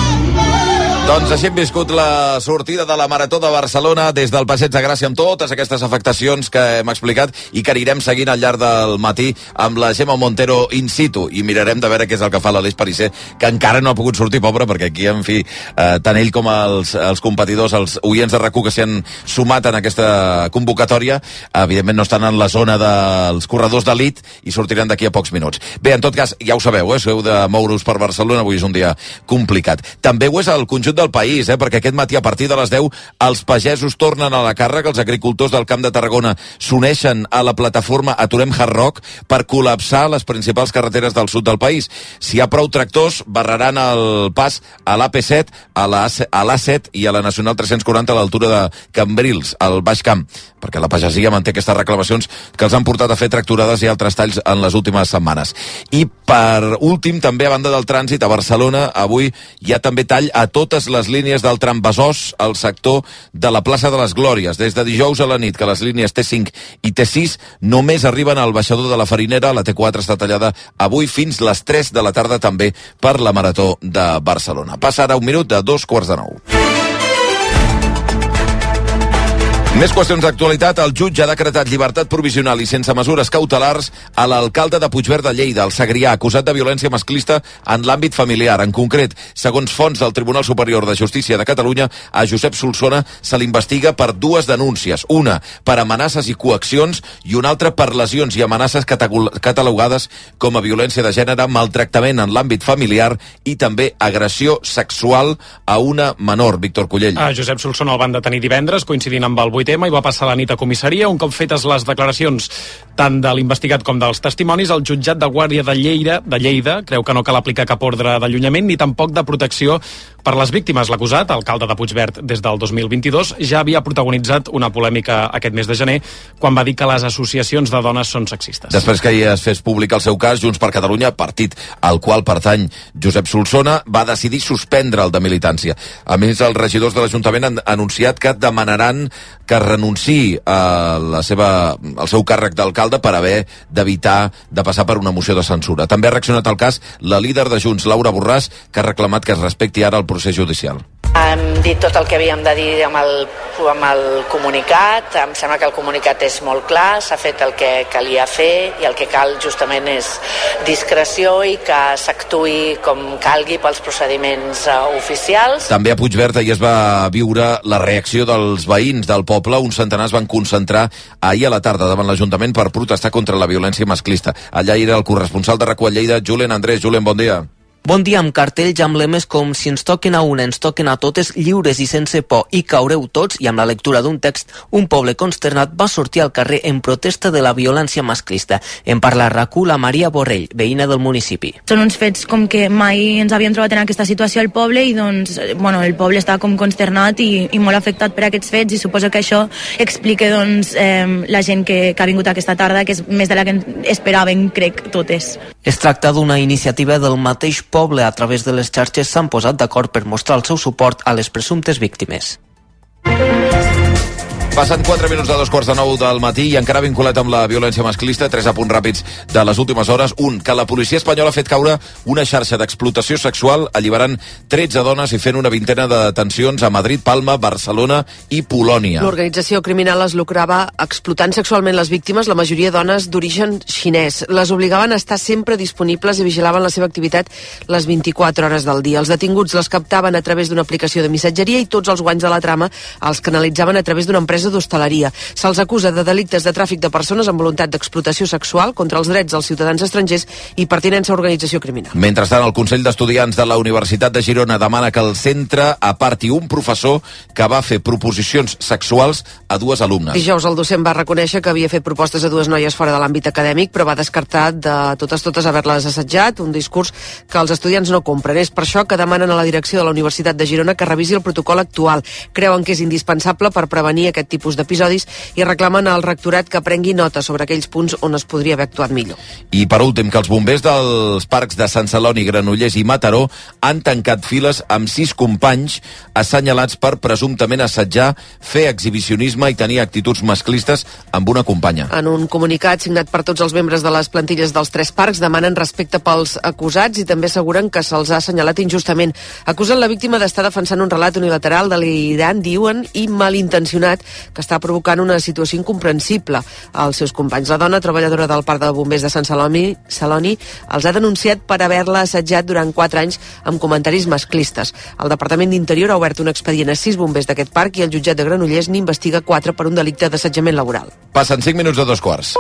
Doncs així hem viscut la sortida de la Marató de Barcelona des del Passeig de Gràcia amb totes aquestes afectacions que hem explicat i que anirem seguint al llarg del matí amb la Gemma Montero in situ i mirarem de veure què és el que fa l'Aleix Parisser, que encara no ha pogut sortir, pobre, perquè aquí, en fi, eh, tant ell com els, els competidors, els oients de RAC u que s'hi han sumat en aquesta convocatòria, evidentment no estan en la zona dels corredors d'elit i sortiran d'aquí a pocs minuts. Bé, en tot cas, ja ho sabeu, eh, si heu de moure-us per Barcelona, avui és un dia complicat. També ho és el conjunt del país, eh? Perquè aquest matí a partir de les deu els pagesos tornen a la càrrega, els agricultors del Camp de Tarragona s'uneixen a la plataforma Aturem Hard Rock per col·lapsar les principals carreteres del sud del país. Si hi ha prou tractors, barraran el pas a l'A P set, a l'A set i a la Nacional tres-cents quaranta a l'altura de Cambrils, al Baix Camp, perquè la pagesia manté aquestes reclamacions que els han portat a fer tracturades i altres talls en les últimes setmanes. I per últim, també a banda del trànsit, a Barcelona, avui hi ha també tall a totes les línies del tram Besòs al sector de la plaça de les Glòries. Des de dijous a la nit, que les línies T cinc i T sis només arriben al baixador de la Farinera. La T quatre està tallada avui fins les tres de la tarda també per la Marató de Barcelona. Passa ara un minut de dos quarts de nou. Més qüestions d'actualitat. El jutge ha decretat llibertat provisional i sense mesures cautelars a l'alcalde de Puigverd de Lleida, el Segrià, acusat de violència masclista en l'àmbit familiar. En concret, segons fonts del Tribunal Superior de Justícia de Catalunya, a Josep Solsona se l'investiga per dues denúncies. Una per amenaces i coaccions i una altra per lesions i amenaces catalogades com a violència de gènere, maltractament en l'àmbit familiar i també agressió sexual a una menor. Víctor Cullell. A Josep Solsona el van detenir divendres, coincidint amb el vuit ema, i va passar la nit a comissaria. Un cop fetes les declaracions tant de l'investigat com dels testimonis, el jutjat de Guàrdia de Lleida, de Lleida creu que no cal aplicar cap ordre d'allunyament ni tampoc de protecció per les víctimes. L'acusat, alcalde de Puigverd des del dos mil vint-i-dos, ja havia protagonitzat una polèmica aquest mes de gener quan va dir que les associacions de dones són sexistes. Després que hi es fes públic el seu cas, Junts per Catalunya, partit al qual pertany Josep Solsona, va decidir suspendre el de militància. A més, els regidors de l'Ajuntament han anunciat que demanaran que renunciï a la seva, al seu càrrec d'alcalde per haver d'evitar de passar per una moció de censura. També ha reaccionat al cas la líder de Junts, Laura Borràs, que ha reclamat que es respecti ara el procés judicial. Hem dit tot el que havíem de dir amb el, amb el comunicat. Em sembla que el comunicat és molt clar, s'ha fet el que calia fer i el que cal justament és discreció i que s'actuï com calgui pels procediments uh, oficials. També a Puigverd ahir es va viure la reacció dels veïns del poble. Un centenar es van concentrar ahir a la tarda davant l'Ajuntament per protestar contra la violència masclista. Allà era el corresponsal de RAC u a Lleida, Julen Andrés. Julen, bon dia. Bon dia, amb cartells amb lemes com si ens toquen a una, ens toquen a totes, lliures i sense por, i caureu tots, i amb la lectura d'un text, un poble consternat va sortir al carrer en protesta de la violència masclista. En parla a RAC u la Maria Borrell, veïna del municipi. Són uns fets com que mai ens havíem trobat en aquesta situació al poble i doncs, bueno, el poble està com consternat i, i molt afectat per aquests fets i suposo que això explica doncs eh, la gent que, que ha vingut aquesta tarda, que és més de la que esperàvem, crec, totes. Es tracta d'una iniciativa del mateix poble. A través de les xarxes s'han posat d'acord per mostrar el seu suport a les presumptes víctimes. Passen quatre minuts de dos quarts de nou del matí i encara vinculat amb la violència masclista, tres apunts ràpids de les últimes hores. Un, que la policia espanyola ha fet caure una xarxa d'explotació sexual, alliberant tretze dones i fent una vintena de detencions a Madrid, Palma, Barcelona i Polònia. L'organització criminal es lucrava explotant sexualment les víctimes, la majoria dones d'origen xinès. Les obligaven a estar sempre disponibles i vigilaven la seva activitat les vint-i-quatre hores del dia. Els detinguts les captaven a través d'una aplicació de missatgeria i tots els guanys de la trama els canalitzaven a través d'una empresa d'hostaleria. Se'ls acusa de delictes de tràfic de persones amb voluntat d'explotació sexual contra els drets dels ciutadans estrangers i pertinença a organització criminal. Mentrestant, el Consell d'Estudiants de la Universitat de Girona demana que el centre aparti un professor que va fer proposicions sexuals a dues alumnes. Dijous el docent va reconèixer que havia fet propostes a dues noies fora de l'àmbit acadèmic, però va descartar de totes totes haver-les assetjat, un discurs que els estudiants no compren. És per això que demanen a la direcció de la Universitat de Girona que revisi el protocol actual. Creuen que és indispensable per prevenir aquest tipus d'episodis i reclamen al rectorat que prengui nota sobre aquells punts on es podria haver actuat millor. I per últim, que els bombers dels parcs de Sant Celoni, Granollers i Mataró han tancat files amb sis companys assenyalats per presumptament assetjar, fer exhibicionisme i tenir actituds masclistes amb una companya. En un comunicat signat per tots els membres de les plantilles dels tres parcs demanen respecte pels acusats i també asseguren que se'ls ha assenyalat injustament. Acusen la víctima d'estar defensant un relat unilateral, delirant, diuen, i malintencionat, que està provocant una situació incomprensible als seus companys. La dona, treballadora del Parc de Bombers de Sant Celoni, Celoni, els ha denunciat per haver-la assetjat durant quatre anys amb comentaris masclistes. El Departament d'Interior ha obert un expedient a sis bombers d'aquest parc i el jutjat de Granollers n'investiga quatre per un delicte d'assetjament laboral. Passen cinc minuts de dos quarts.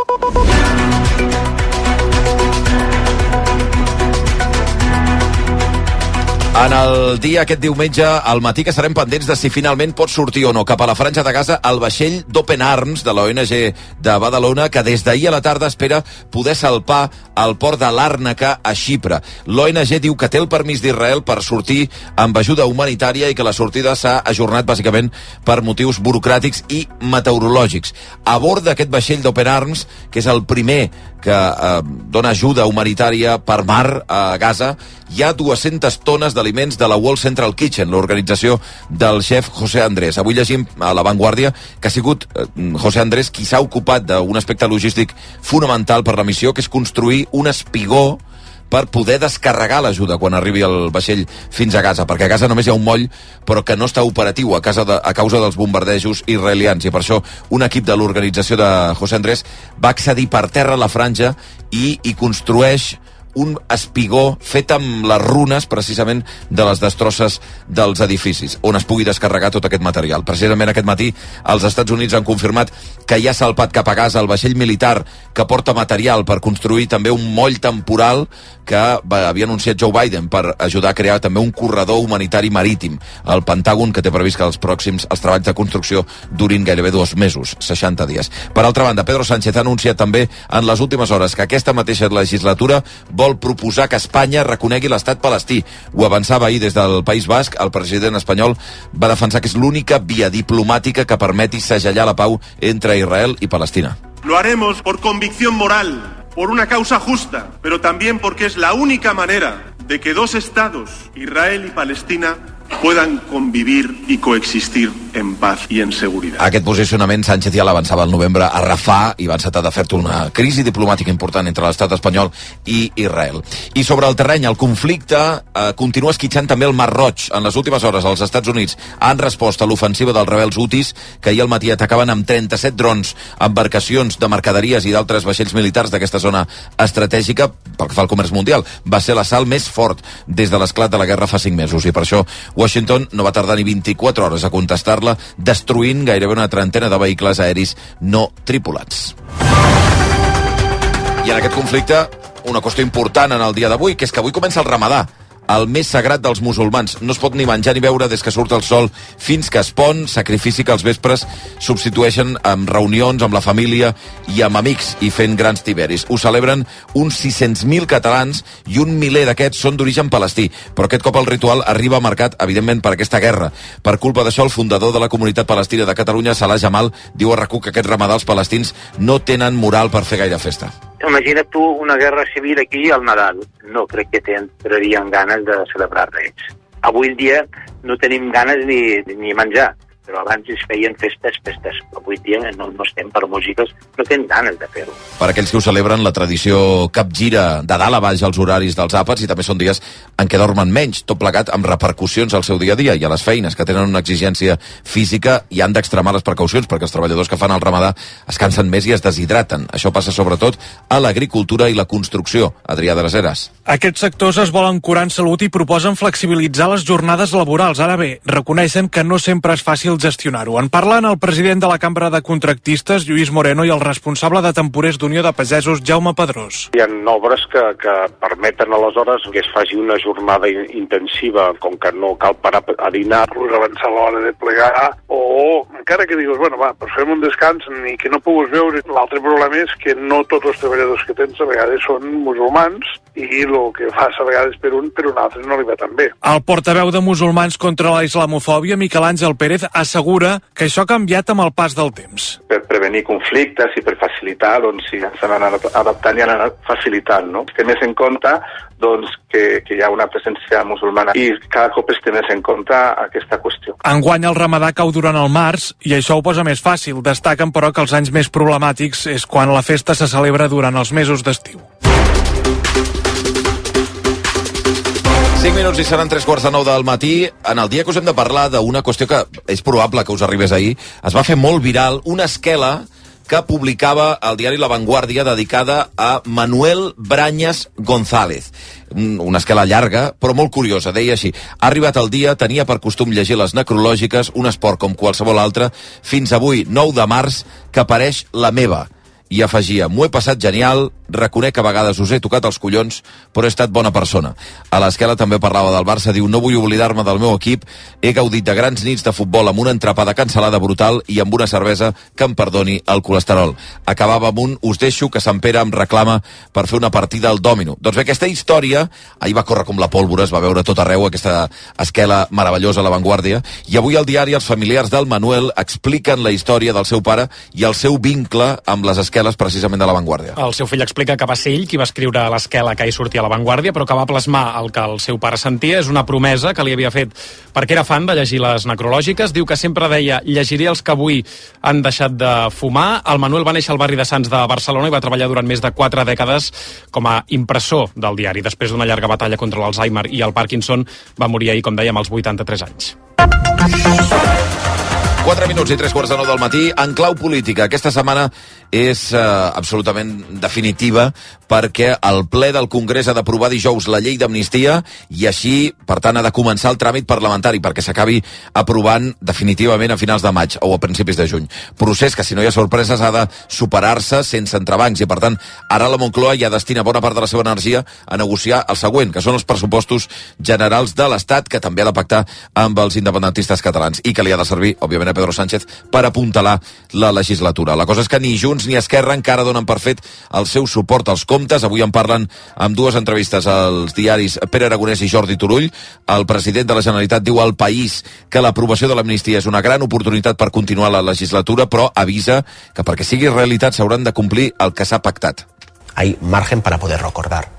En el dia aquest diumenge, al matí, que serem pendents de si finalment pot sortir o no cap a la Franja de Gaza el vaixell d'Open Arms de l'O N G de Badalona, que des d'ahir a la tarda espera poder salpar al port de Làrnaca a Xipre. L'O N G diu que té el permís d'Israel per sortir amb ajuda humanitària i que la sortida s'ha ajornat bàsicament per motius burocràtics i meteorològics. A bord d'aquest vaixell d'Open Arms, que és el primer que eh, dona ajuda humanitària per mar a Gaza, hi ha dues-centes tones d'aliments de la World Central Kitchen, l'organització del xef José Andrés. Avui llegim a La Vanguardia que ha sigut eh, José Andrés qui s'ha ocupat d'un aspecte logístic fonamental per la missió, que és construir un espigó per poder descarregar l'ajuda quan arribi el vaixell fins a Gaza, perquè a Gaza només hi ha un moll, però que no està operatiu a, casa de, a causa dels bombardejos israelians, i per això un equip de l'organització de José Andrés va accedir per terra a la franja i hi construeix un espigó fet amb les runes, precisament, de les destrosses dels edificis, on es pugui descarregar tot aquest material. Precisament aquest matí, els Estats Units han confirmat que hi ha salpat cap a Gaza el vaixell militar que porta material per construir també un moll temporal que havia anunciat Joe Biden per ajudar a crear també un corredor humanitari marítim al Pentàgon, que té previst que els pròxims els treballs de construcció durin gairebé dos mesos, seixanta dies. Per altra banda, Pedro Sánchez ha anunciat també en les últimes hores que aquesta mateixa legislatura vol proposar que Espanya reconegui l'estat palestí. Ho avançava ahir des del País Basc. El president espanyol va defensar que és l'única via diplomàtica que permeti segellar la pau entre Israel y Palestina. Lo haremos por convicción moral, por una causa justa, pero también porque es la única manera de que dos estados, Israel y Palestina, puedan convivir y coexistir en paz y en seguridad. Aquest posicionament Sánchez ja l'avançava al novembre a Rafah i va encetar de fer una crisi diplomàtica important entre l'estat espanyol i Israel. I sobre el terreny, el conflicte eh, continua esquitxant també el Mar Roig. En les últimes hores, els Estats Units han respost a l'ofensiva dels rebels hutis, que ahir al matí atacaven amb trenta-set drons, embarcacions de mercaderies i d'altres vaixells militars d'aquesta zona estratègica pel que fa al comerç mundial. Va ser l'assalt més fort des de l'esclat de la guerra fa cinc mesos, i per això Washington no va tardar ni vint-i-quatre hores a contestar-la, destruint gairebé una trentena de vehicles aeris no tripulats. I en aquest conflicte, una qüestió important en el dia d'avui, que és que avui comença el Ramadà, el més sagrat dels musulmans. No es pot ni menjar ni beure des que surt el sol fins que es pon, sacrifici que els vespres substitueixen amb reunions amb la família i amb amics i fent grans tiberis. Ho celebren uns sis-cents mil catalans i un miler d'aquests són d'origen palestí, però aquest cop el ritual arriba marcat, evidentment, per aquesta guerra. Per culpa d'això, el fundador de la comunitat palestina de Catalunya, Salah Jamal, diu a RAC u que aquest ramadà els palestins no tenen moral per fer gaire festa. Imagina't tu una guerra civil aquí al Nadal. No crec que tindrien ganes de celebrar res. Avui en dia no tenim ganes ni, ni menjar. però abans es feien festes, festes. Avui dia no, no estem per músiques, no tenen ganes de fer-ho. Per aquells que ho celebren, la tradició capgira de dalt a baix als horaris dels àpats i també són dies en què dormen menys, tot plegat amb repercussions al seu dia a dia i a les feines que tenen una exigència física i han d'extremar les precaucions perquè els treballadors que fan el ramadà es cansen més i es deshidraten. Això passa sobretot a l'agricultura i la construcció. Adrià de les Heres. Aquests sectors es volen curar en salut i proposen flexibilitzar les jornades laborals. Ara bé, reconeixen que no sempre és fàcil gestionar-ho. En parlen el president de la Cambra de Contractistes, Lluís Moreno, i el responsable de temporers d'Unió de Pagesos, Jaume Pedrós. Hi ha obres que, que permeten aleshores que es faci una jornada intensiva, com que no cal parar a dinar, avançar a l'hora de plegar, o encara que digues, bueno, va, pues fem un descans ni que no puguis veure. L'altre problema és que no tots els treballadors que tens a vegades són musulmans i el que fas a vegades per un, per un altre no li va tan bé. El portaveu de Musulmans contra la islamofòbia, Miquel Àngel Pérez, assegura que això ha canviat amb el pas del temps. Per prevenir conflictes i per facilitar, doncs sí, s'han anat adaptant i han anat facilitant, no? Es té més en compte doncs, que, que hi ha una presència musulmana i cada cop es té més en compte aquesta qüestió. Enguany el ramadà cau durant el març i això ho posa més fàcil. Destaquen, però, que els anys més problemàtics és quan la festa se celebra durant els mesos d'estiu. cinc minuts i seran tres quarts de nou del matí. En el dia que us hem de parlar d'una qüestió que és probable que us arribés ahir, es va fer molt viral una esquela que publicava el diari La Vanguardia dedicada a Manuel Brañas González. Una esquela llarga, però molt curiosa. Deia així: ha arribat el dia, tenia per costum llegir les necrològiques, un esport com qualsevol altre, fins avui, nou de març, que apareix la meva. I afegia: m'ho he passat genial, reconec que a vegades us he tocat els collons, però he estat bona persona. A l'esquela també parlava del Barça, diu: no vull oblidar-me del meu equip, he gaudit de grans nits de futbol amb una entrapada cancel·lada brutal i amb una cervesa que em perdoni el colesterol. Acabava amb un: us deixo que Sant Pere em reclama per fer una partida al dòmino. Doncs bé, aquesta història ahir va córrer com la pólvora, es va veure tot arreu, aquesta esquela meravellosa a La Vanguardia, i avui al diari els familiars del Manuel expliquen la història del seu pare i el seu vincle amb les esqueles precisament de La Vanguardia. El seu fill explica que va ser ell qui va escriure l'esquela que hi sortia a La Vanguardia, però que va plasmar el que el seu pare sentia. És una promesa que li havia fet perquè era fan de llegir les necrològiques. Diu que sempre deia: llegiré els que avui han deixat de fumar. El Manuel va néixer al barri de Sants de Barcelona i va treballar durant més de quatre dècades com a impressor del diari. Després d'una llarga batalla contra l'Alzheimer i el Parkinson, va morir ahir, com dèiem, als vuitanta-tres anys. quatre minuts i tres quarts de nou del matí. En clau política, aquesta setmana és eh, absolutament definitiva perquè el ple del Congrés ha d'aprovar dijous la llei d'amnistia i així, per tant, ha de començar el tràmit parlamentari perquè s'acabi aprovant definitivament a finals de maig o a principis de juny. Procés que, si no hi ha sorpreses, ha de superar-se sense entrebancs i, per tant, ara la Moncloa ja destina bona part de la seva energia a negociar el següent, que són els pressupostos generals de l'Estat, que també ha de pactar amb els independentistes catalans i que li ha de servir, òbviament, a Pedro Sánchez per apuntalar la legislatura. La cosa és que ni Junts ni Esquerra encara donen per fet el seu suport als comptes. Avui en parlen amb dues entrevistes als diaris Pere Aragonès i Jordi Turull. El president de la Generalitat diu al País que l'aprovació de l'amnistia és una gran oportunitat per continuar la legislatura, però avisa que perquè sigui realitat s'hauran de complir el que s'ha pactat. Hay margen para poder recordar.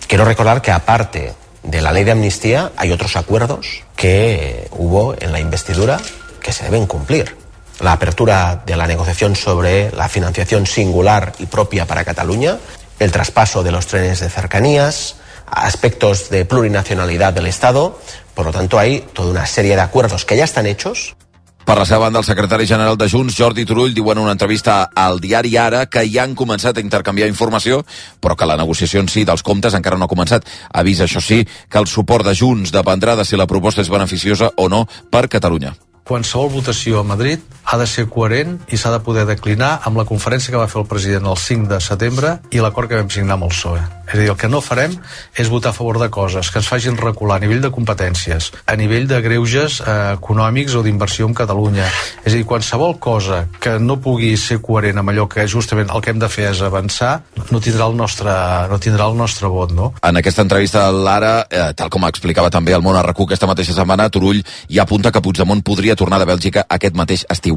Quiero recordar que aparte de la ley de amnistía hay otros acuerdos que hubo en la investidura que se deben cumplir. La apertura de la negociación sobre la financiación singular y propia para Cataluña, el traspaso de los trenes de cercanías, aspectos de plurinacionalidad del Estado. Por lo tanto, hay toda una serie de acuerdos que ya están hechos. Per la seva banda, el secretari general de Junts, Jordi Turull, diu en una entrevista al diari Ara que ja han començat a intercanviar informació, però que la negociació en si dels comptes encara no ha començat. Avisa, això sí, que el suport de Junts dependrà de si la proposta és beneficiosa o no per Catalunya. Qualsevol votació a Madrid ha de ser coherent i s'ha de poder declinar amb la conferència que va fer el president el cinc de setembre i l'acord que vam signar amb el P S O E. És a dir, el que no farem és votar a favor de coses que ens facin recular a nivell de competències, a nivell de greuges eh, econòmics o d'inversió en Catalunya. És a dir, qualsevol cosa que no pugui ser coherent amb allò que justament el que hem de fer és avançar, no tindrà el nostre, no tindrà el nostre vot, no? En aquesta entrevista a l'Ara, eh, tal com explicava també el Món a RAC u aquesta mateixa setmana, Turull ja apunta que Puigdemont podria tornar de Bèlgica aquest mateix estiu.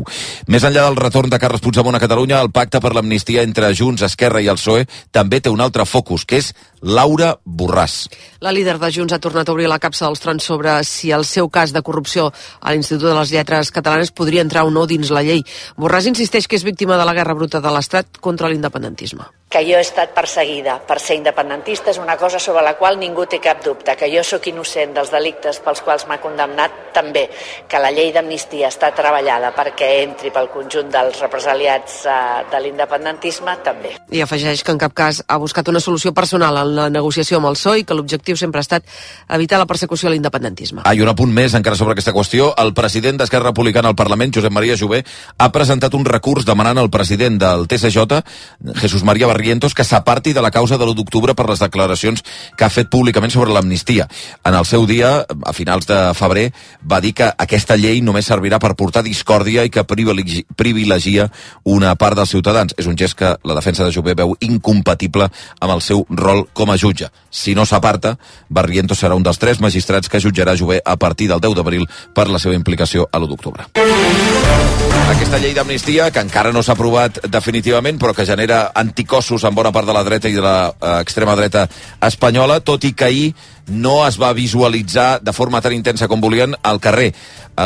Més enllà del retorn de Carles Puigdemont a Catalunya, el pacte per l'amnistia entre Junts, Esquerra i el P S O E també té un altre focus, que que és Laura Borràs. La líder de Junts ha tornat a obrir la capsa dels trons sobre si el seu cas de corrupció a l'Institut de les Lletres Catalanes podria entrar o no dins la llei. Borràs insisteix que és víctima de la guerra bruta de l'Estat contra l'independentisme. Que jo he estat perseguida per ser independentista és una cosa sobre la qual ningú té cap dubte. Que jo sóc innocent dels delictes pels quals m'ha condemnat, també. Que la llei d'amnistia està treballada perquè entri pel conjunt dels represaliats eh, de l'independentisme, també. I afegeix que en cap cas ha buscat una solució personal en la negociació amb el P S O E i que l'objectiu sempre ha estat evitar la persecució a l'independentisme. Ah, i un apunt més encara sobre aquesta qüestió. El president d'Esquerra Republicana al Parlament, Josep Maria Jové, ha presentat un recurs demanant al president del T S J, Jesús María Barrientos, que s'aparti de la causa de l'u d'octubre per les declaracions que ha fet públicament sobre l'amnistia. En el seu dia, a finals de febrer, va dir que aquesta llei només servirà per portar discòrdia i que privilegi, privilegia una part dels ciutadans. És un gest que la defensa de Jové veu incompatible amb el seu rol com a jutge. Si no s'aparta, Barrientos serà un dels tres magistrats que jutjarà Jové a partir del deu d'abril per la seva implicació a l'u d'octubre. Aquesta llei d'amnistia, que encara no s'ha aprovat definitivament, però que genera anticossos en bona part de la dreta i de l'extrema dreta espanyola, tot i que ahir no es va visualitzar de forma tan intensa com volien al carrer.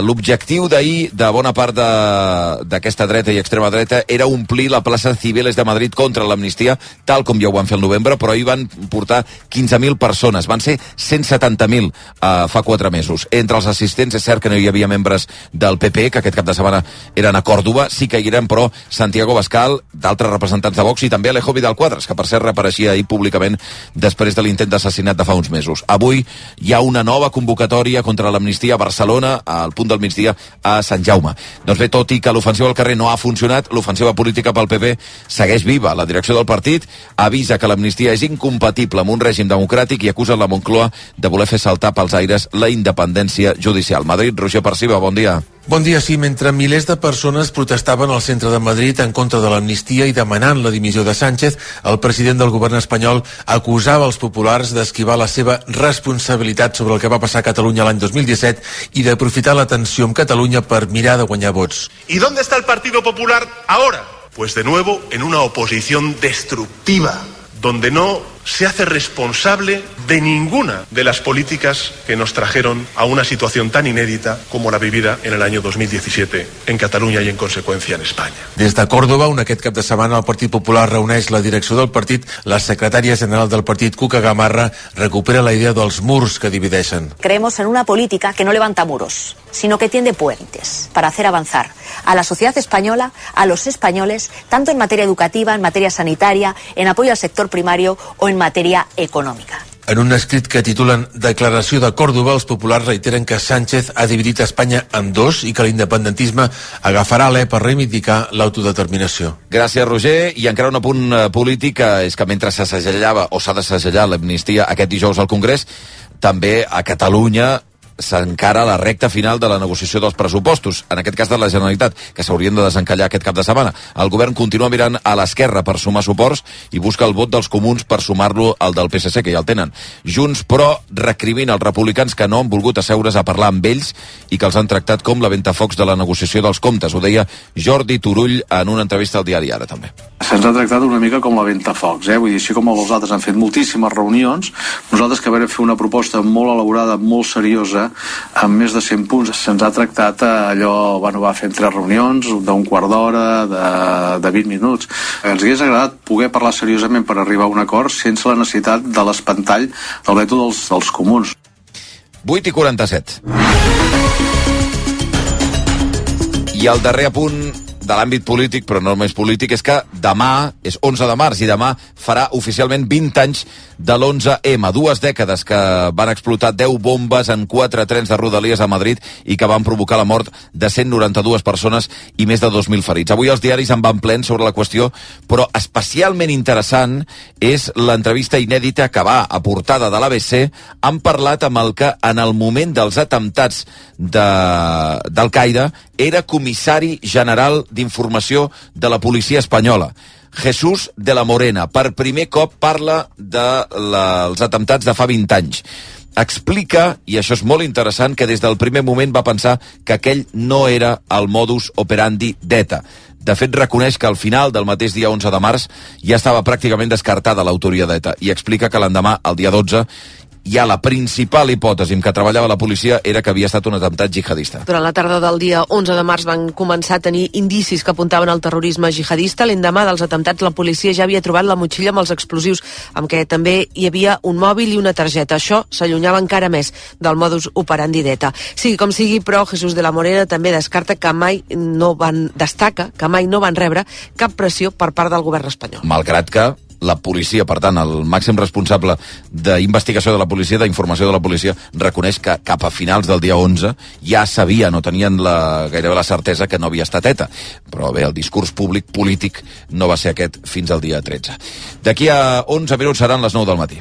L'objectiu d'ahir de bona part d'aquesta dreta i extrema dreta era omplir la plaça Cibeles de Madrid contra l'amnistia, tal com ja ho van fer el novembre, però ahir van portar quinze mil persones. Van ser cent setanta mil uh, fa quatre mesos. Entre els assistents és cert que no hi havia membres del P P, que aquest cap de setmana eren a Còrdova, sí que hi eren, però Santiago Bascal, d'altres representants de Vox i també Alejo Vidal Quadras, que per cert reapareixia ahir públicament després de l'intent d'assassinat de fa uns mesos. Avui hi ha una nova convocatòria contra l'amnistia a Barcelona, al punt del migdia a Sant Jaume. Doncs bé, tot i que l'ofensiva al carrer no ha funcionat, l'ofensiva política pel P P segueix viva. La direcció del partit avisa que l'amnistia és incompatible amb un règim democràtic i acusa la Moncloa de voler fer saltar pels aires la independència judicial. Madrid, Roger Perciba, bon dia. Bon dia, sí. Mentre milers de persones protestaven al centre de Madrid en contra de l'amnistia i demanant la dimissió de Sánchez, el president del govern espanyol acusava els populars d'esquivar la seva responsabilitat sobre el que va passar a Catalunya l'any dos mil disset i d'aprofitar la tensió amb Catalunya per mirar de guanyar vots. ¿Y dónde está el Partido Popular ahora? Pues de nuevo en una oposición destructiva, donde no se hace responsable de ninguna de las políticas que nos trajeron a una situación tan inédita como la vivida en el año dos mil diecisiete en Catalunya i en conseqüència en Espanya. Des de Còrdova, on aquest cap de setmana el Partit Popular reuneix la direcció del partit, la secretària general del partit, Cuca Gamarra, recupera la idea dels murs que divideixen. Creemos en una política que no levanta muros, sino que tiende puentes para hacer avanzar a la sociedad española, a los españoles, tanto en materia educativa, en materia sanitaria, en apoyo al sector primario o en matèria econòmica. En un escrit que titulen Declaració de Còrdova, els populars reiteren que Sánchez ha dividit Espanya en dos i que l'independentisme agafarà l'E per reivindicar l'autodeterminació. Gràcies, Roger. I encara un apunt polític, és que mentre se segellava o s'ha de segellar l'amnistia aquest dijous al Congrés, també a Catalunya s'encara la recta final de la negociació dels pressupostos, en aquest cas de la Generalitat, que s'haurien de desencallar aquest cap de setmana. El govern continua mirant a l'esquerra per sumar suports i busca el vot dels comuns per sumar-lo al del P S C, que ja el tenen. Junts, però, recrimina els republicans que no han volgut asseure's a parlar amb ells i que els han tractat com la ventafocs de la negociació dels comptes. Ho deia Jordi Turull en una entrevista al diari Ara, també. Se'ns ha tractat una mica com la ventafocs, eh? Vull dir, així com els altres han fet moltíssimes reunions, nosaltres que vam fer una proposta molt elaborada, molt seriosa, amb més de cent punts, se'ns ha tractat allò, bueno, va fer tres reunions d'un quart d'hora, de, de vint minuts. Ens hagués agradat poder parlar seriosament per arribar a un acord sense la necessitat de l'espantall del veto dels, dels comuns. vuit i quaranta-set. I el darrer apunt de l'àmbit polític, però no només polític, és que demà, és onze de març, i demà farà oficialment vint anys de l'onze eme, dues dècades que van explotar deu bombes en quatre trens de Rodalies a Madrid i que van provocar la mort de cent noranta-dues persones i més de dos mil ferits. Avui els diaris en van plens sobre la qüestió, però especialment interessant és l'entrevista inèdita que va a portada de l'A B C. Han parlat amb el que en el moment dels atemptats de, d'Al-Qaeda era comissari general d'informació de la policia espanyola, Jesús de la Morena. Per primer cop parla dels atemptats de fa vint anys. explica, i això és molt interessant, que des del primer moment va pensar que aquell no era el modus operandi d'ETA. De fet, reconeix que al final del mateix dia onze de març ja estava pràcticament descartada l'autoria d'ETA i explica que l'endemà, el dia dotze, ja la principal hipòtesi en què treballava la policia era que havia estat un atemptat jihadista. Durant la tarda del dia onze de març van començar a tenir indicis que apuntaven al terrorisme jihadista. L'endemà dels atemptats la policia ja havia trobat la motxilla amb els explosius, amb què també hi havia un mòbil i una targeta. Això s'allunyava encara més del modus operandi d'ETA. Sigui com sigui, però, Jesús de la Morera també descarta que mai no van, destaca que mai no van rebre cap pressió per part del govern espanyol. Malgrat que la policia, per tant, el màxim responsable d'investigació de la policia, d'informació de la policia, reconeix que cap a finals del dia onze ja sabien o tenien la, gairebé la certesa que no havia estat ETA. Però bé, el discurs públic polític no va ser aquest fins al dia tretze. D'aquí a onze minuts seran les nou del matí.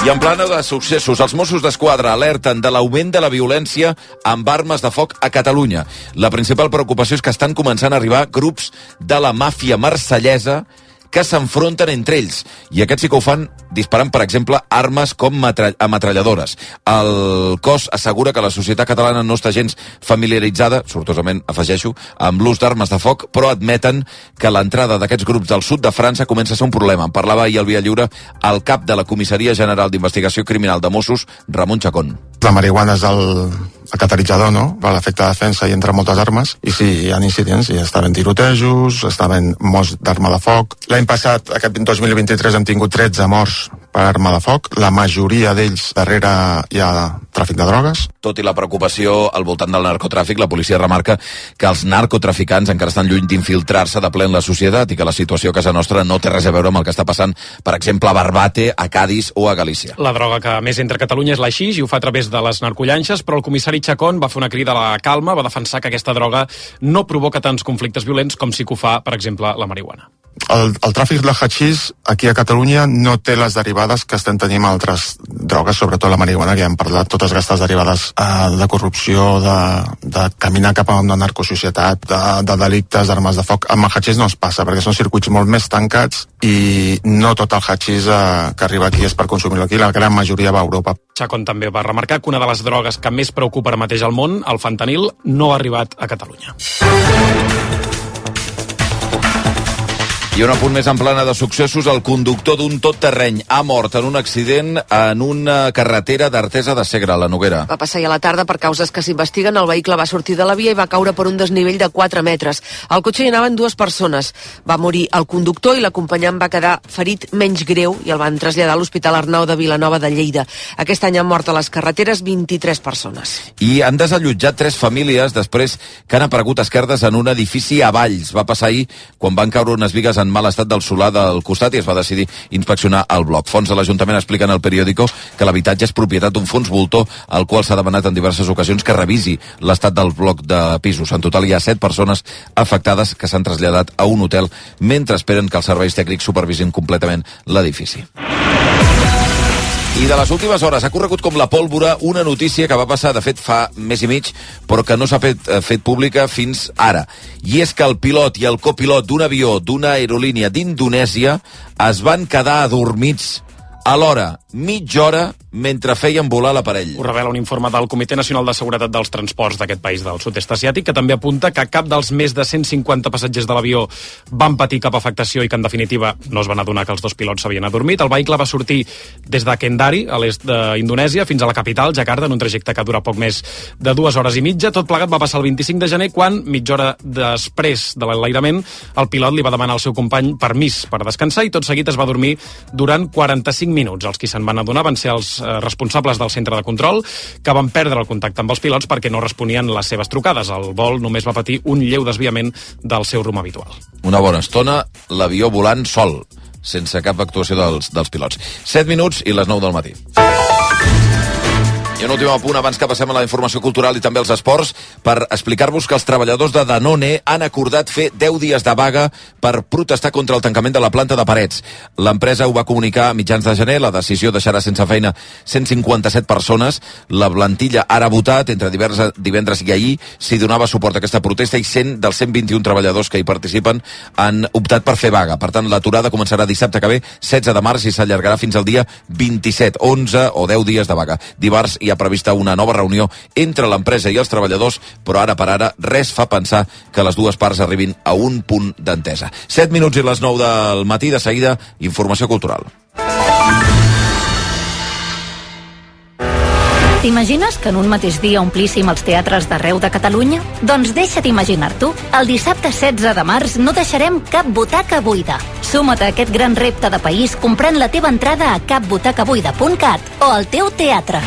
I en plana de successos, els Mossos d'Esquadra alerten de l'augment de la violència amb armes de foc a Catalunya. La principal preocupació és que estan començant a arribar grups de la màfia marsellesa que s'enfronten entre ells. I aquests sí que ho fan disparant, per exemple, armes com ametralladores. El cos assegura que la societat catalana no està gens familiaritzada, sortosament afegeixo, amb l'ús d'armes de foc, però admeten que l'entrada d'aquests grups del sud de França comença a ser un problema. En parlava ahir al Via Lliure el cap de la Comissaria General d'Investigació Criminal de Mossos, Ramon Chacón. La marihuana és el, el catalitzador, no?, per l'efecte de defensa i entre moltes armes, i sí, hi ha incidents, hi estaven tirotejos, estaven morts d'arma de foc. L'any passat, aquest dos mil vint-i-tres, hem tingut tretze morts per arma de foc, la majoria d'ells darrere hi ha tràfic de drogues. Tot i la preocupació al voltant del narcotràfic, la policia remarca que els narcotraficants encara estan lluny d'infiltrar-se de ple en la societat i que la situació a casa nostra no té res a veure amb el que està passant, per exemple, a Barbate, a Cádiz o a Galícia. La droga que més entra a Catalunya és l'haixix i ho fa a través de les narcollanxes, però el comissari Chacón va fer una crida a la calma, va defensar que aquesta droga no provoca tants conflictes violents com sí que ho fa, per exemple, la marihuana. El, el tràfic de hachís aquí a Catalunya no té les derivades que estem tenint altres drogues, sobretot la marihuana, que ja hem parlat, totes aquestes derivades eh, de corrupció, de, de caminar cap a una narcosocietat, de, de delictes, d'armes de foc. Amb el hachís no es passa, perquè són circuits molt més tancats i no tot el hachís eh, que arriba aquí és per consumir-lo aquí, la gran majoria va a Europa. Chacón també va remarcar que una de les drogues que més preocupa ara mateix al món, el fentanil, no ha arribat a Catalunya. I un apunt més en plana de successos, el conductor d'un tot-terreny ha mort en un accident en una carretera d'Artesa de Segre, a la Noguera. Va passar ja a la tarda per causes que s'investiguen. El vehicle va sortir de la via i va caure per un desnivell de quatre metres. Al cotxe hi anaven dues persones. Va morir el conductor i l'acompanyant va quedar ferit menys greu i el van traslladar a l'Hospital Arnau de Vilanova de Lleida. Aquest any han mort a les carreteres vint-i-tres persones. I han desallotjat tres famílies després que han aparegut esquerdes en un edifici a Valls. Va passar ahir quan van caure unes bigues en mal estat del solar del costat i es va decidir inspeccionar el bloc. Fons de l'Ajuntament expliquen al periòdico que l'habitatge és propietat d'un fons voltor al qual s'ha demanat en diverses ocasions que revisi l'estat del bloc de pisos. En total hi ha set persones afectades que s'han traslladat a un hotel mentre esperen que els serveis tècnics supervisin completament l'edifici. I de les últimes hores ha corregut com la pólvora una notícia que va passar, de fet, fa mes i mig, però que no s'ha fet, fet pública fins ara. I és que el pilot i el copilot d'un avió d'una aerolínia d'Indonèsia es van quedar adormits alhora, mitja hora, mentre feien volar l'aparell. Ho revela un informe del Comitè Nacional de Seguretat dels Transports d'aquest país del sud-est asiàtic, que també apunta que cap dels més de cent cinquanta passatgers de l'avió van patir cap afectació i que, en definitiva, no es van adonar que els dos pilots s'havien adormit. El vehicle va sortir des de Kendari, a l'est d'Indonèsia, fins a la capital, Jakarta, en un trajecte que dura poc més de dues hores i mitja. Tot plegat va passar el vint-i-cinc de gener, quan, mitja hora després de l'enlairament, el pilot li va demanar al seu company permís per descansar i tot seguit es va dormir durant quaranta-cinc minuts. Els qui se'n van adonar van ser els responsables del centre de control, que van perdre el contacte amb els pilots perquè no responien les seves trucades. El vol només va patir un lleu desviament del seu rumb habitual. Una bona estona, l'avió volant sol, sense cap actuació dels, dels pilots. set minuts i les nou del matí. I un últim apunt abans que passem a la informació cultural i també als esports per explicar-vos que els treballadors de Danone han acordat fer deu dies de vaga per protestar contra el tancament de la planta de Parets. L'empresa ho va comunicar a mitjans de gener, la decisió deixarà sense feina cent cinquanta-set persones. La plantilla ara ha votat entre divendres, divendres i ahir si donava suport a aquesta protesta i cent dels cent vint-i-un treballadors que hi participen han optat per fer vaga. Per tant, l'aturada començarà dissabte que ve, setze de març, i s'allargarà fins al dia vint-i-set, onze o deu dies de vaga. Dimarts hi ha prevista una nova reunió entre l'empresa i els treballadors, però ara per ara res fa pensar que les dues parts arribin a un punt d'entesa. set minuts i les nou del matí, de seguida, informació cultural. T'imagines que en un mateix dia omplíssim els teatres d'arreu de Catalunya? Doncs deixa't imaginar-t'ho. El dissabte setze de març no deixarem cap butaca buida. Suma't a aquest gran repte de país comprant la teva entrada a cap butaca buida punt cat o al teu teatre.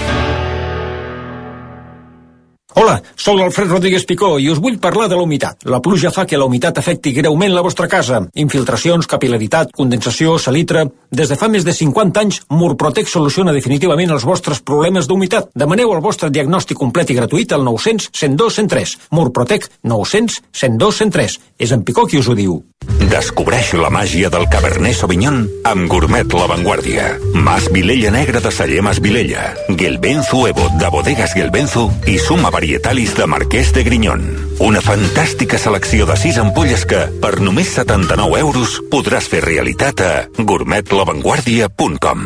Hola, sóc l'Alfred Rodríguez Picó i us vull parlar de la humitat. La pluja fa que la humitat afecti greument la vostra casa. Infiltracions, capilaritat, condensació, salitre... Des de fa més de cinquanta anys, Murprotec soluciona definitivament els vostres problemes d'humitat. Demaneu el vostre diagnòstic complet i gratuït al nou cents, cent dos, cent tres. Murprotec nou cents, cent dos, cent tres. És en Picó qui us ho diu. Descobreix la màgia del Cabernet Sauvignon amb Gourmet La Vanguardia. Mas Vilella Negra de Celler Mas Vilella, Gelbenzu Evo de Bodegas Gelbenzu i Suma Varietalis de Marquès de Grinyón. Una fantàstica selecció de sis ampolles que, per només setanta-nou euros, podràs fer realitat a gourmet la vanguardia punt com.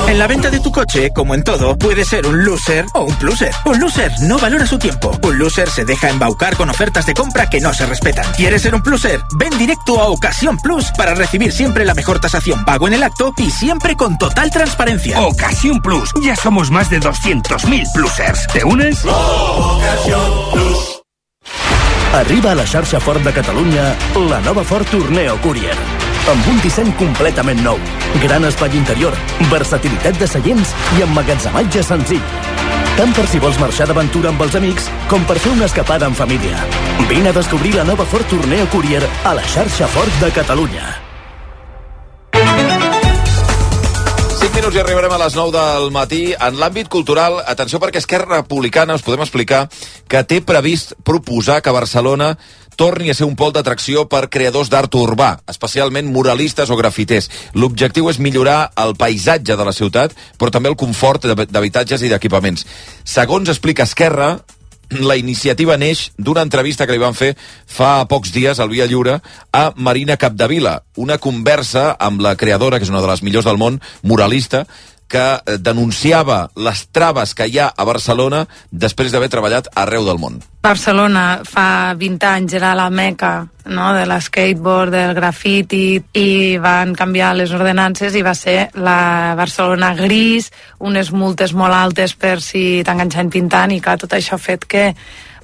En la venta de tu coche, como en todo, puede ser un loser o un pluser. Un loser no valora su tiempo. Un loser se deja embaucar con ofertas de compra que no se respetan. ¿Quieres ser un pluser? Ven directo a Ocasión Plus para recibir siempre la mejor tasación pago en el acto y siempre con total transparencia. Ocasión Plus. Ya somos más de doscientos mil plusers. ¿Te unes? Ocasión Plus. Arriba a la xarxa Ford de Catalunya la nova Ford Tourneo Courier. Amb un disseny completament nou, gran espai interior, versatilitat de seients i emmagatzematge senzill. Tant per si vols marxar d'aventura amb els amics com per fer una escapada en família. Vine a descobrir la nova Ford Tourneo Courier a la xarxa Ford de Catalunya. cinc minuts i arribarem a les nou del matí. En l'àmbit cultural, atenció perquè Esquerra Republicana us podem explicar que té previst proposar que Barcelona torni a ser un pol d'atracció per creadors d'art urbà, especialment muralistes o grafiters. L'objectiu és millorar el paisatge de la ciutat, però també el confort d'habitatges i d'equipaments. Segons explica Esquerra, la iniciativa neix d'una entrevista que li van fer fa pocs dies al Via Lliure a Marina Capdevila, una conversa amb la creadora, que és una de les millors del món, muralista, que denunciava les traves que hi ha a Barcelona després d'haver treballat arreu del món. Barcelona fa vint anys era la meca, no?, de l'skateboard, del grafiti, i van canviar les ordenances i va ser la Barcelona gris, unes multes molt altes per si t'enganxen pintant, i clar, tot això ha fet que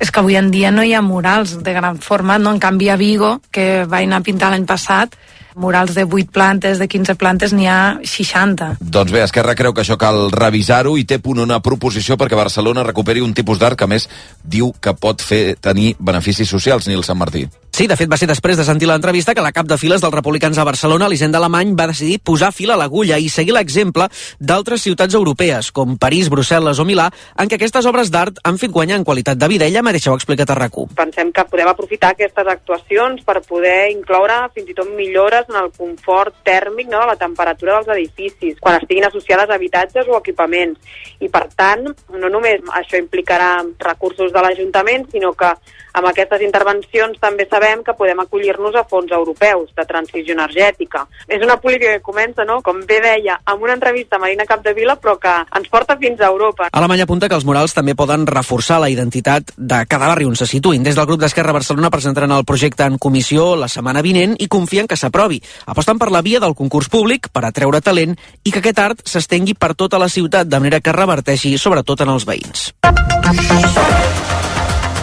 és que avui en dia no hi ha murals de gran format, no? En canvi a Vigo, que vaig anar a pintar l'any passat, murals de vuit plantes, de quinze plantes, n'hi ha seixanta. Doncs bé, Esquerra creu que això cal revisar-ho i té punt una proposició perquè Barcelona recuperi un tipus d'art que, a més, diu que pot fer tenir beneficis socials, Nil Sant Martí. Sí, de fet va ser després de sentir l'entrevista que la cap de files dels republicans a Barcelona, Elisenda Alemany, va decidir posar fil a l'agulla i seguir l'exemple d'altres ciutats europees, com París, Brussel·les o Milà, en què aquestes obres d'art han fet guanyar en qualitat de vida. Ella mateixa ho ha explicat a RAC u. Pensem que podem aprofitar aquestes actuacions per poder incloure fins i tot millores en el confort tèrmic, no?, de la temperatura dels edificis, quan estiguin associades a habitatges o equipaments. I per tant, no només això implicarà recursos de l'Ajuntament, sinó que amb aquestes intervencions també sabem que podem acollir-nos a fons europeus de transició energètica. És una política que comença, no?, com bé deia, amb una entrevista a Marina Capdevila, però que ens porta fins a Europa. Alemanya apunta que els murals també poden reforçar la identitat de cada barri on se situïn. Des del grup d'Esquerra Barcelona presentaran el projecte en comissió la setmana vinent i confien que s'aprovi. Aposten per la via del concurs públic per atreure talent i que aquest art s'estengui per tota la ciutat, de manera que reverteixi sobretot en els veïns.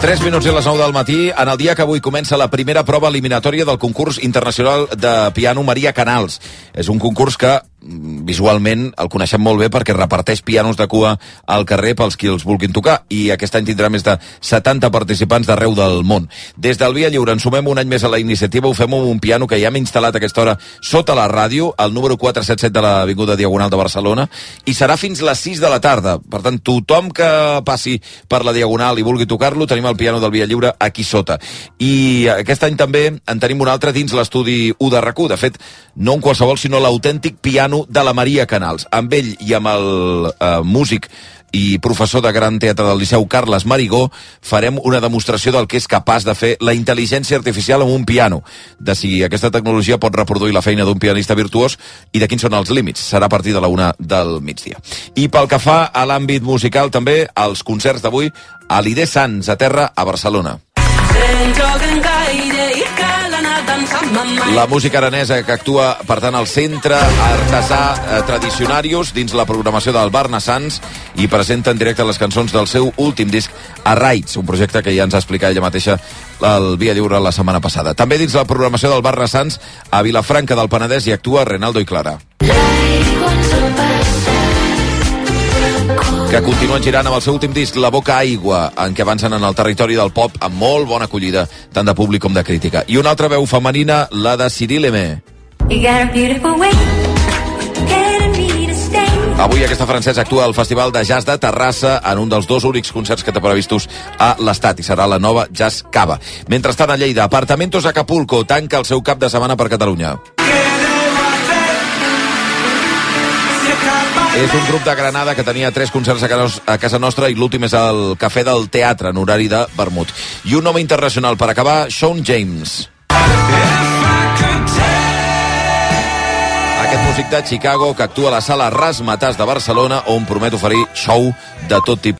tres minuts i les nou del matí, en el dia que avui comença la primera prova eliminatòria del concurs internacional de piano Maria Canals. És un concurs que visualment el coneixem molt bé perquè reparteix pianos de cua al carrer pels qui els vulguin tocar, i aquest any tindrà més de setanta participants d'arreu del món. Des del Via Lliure ens sumem un any més a la iniciativa, ho fem amb un piano que ja hem instal·lat a aquesta hora sota la ràdio, al número quatre set set de l'Avinguda Diagonal de Barcelona, i serà fins les sis de la tarda. Per tant, tothom que passi per la Diagonal i vulgui tocar-lo, tenim el piano del Via Lliure aquí sota. I aquest any també en tenim un altre dins l'estudi u de RAC u. De fet, no un qualsevol, sinó l'autèntic piano de la Maria Canals. Amb ell i amb el eh, músic i professor de Gran Teatre del Liceu, Carles Marigó, farem una demostració del que és capaç de fer la intel·ligència artificial amb un piano, de si aquesta tecnologia pot reproduir la feina d'un pianista virtuós i de quins són els límits. Serà a partir de la una del migdia. I pel que fa a l'àmbit musical, també, els concerts d'avui a l'I D Sants, a terra, a Barcelona. La música aranesa que actua, per tant, al Centre Artesà eh, Tradicionarius dins la programació del Barna Sants, i presenta en directe les cançons del seu últim disc, A Raids, un projecte que ja ens ha explicat ella mateixa al Via Lliure la setmana passada. També dins la programació del Barna Sants, a Vilafranca del Penedès hi actua Renaldo i Clara, que continuen girant amb el seu últim disc, La Boca Aigua, en què avancen en el territori del pop amb molt bona acollida, tant de públic com de crítica. I una altra veu femenina, la de Cirileme. Avui aquesta francesa actua al Festival de Jazz de Terrassa en un dels dos únics concerts que té previstos a l'Estat, i serà la nova Jazz Cava. Mentrestant, a Lleida, Apartamentos Acapulco tanca el seu cap de setmana per Catalunya. És un grup de Granada que tenia tres concerts a casa nostra, i l'últim és al Cafè del Teatre, en horari de vermut. I un home internacional per acabar, Sean James. Aquest músic de Chicago que actua a la sala Razzmatazz de Barcelona, on promet oferir show de tot tipus.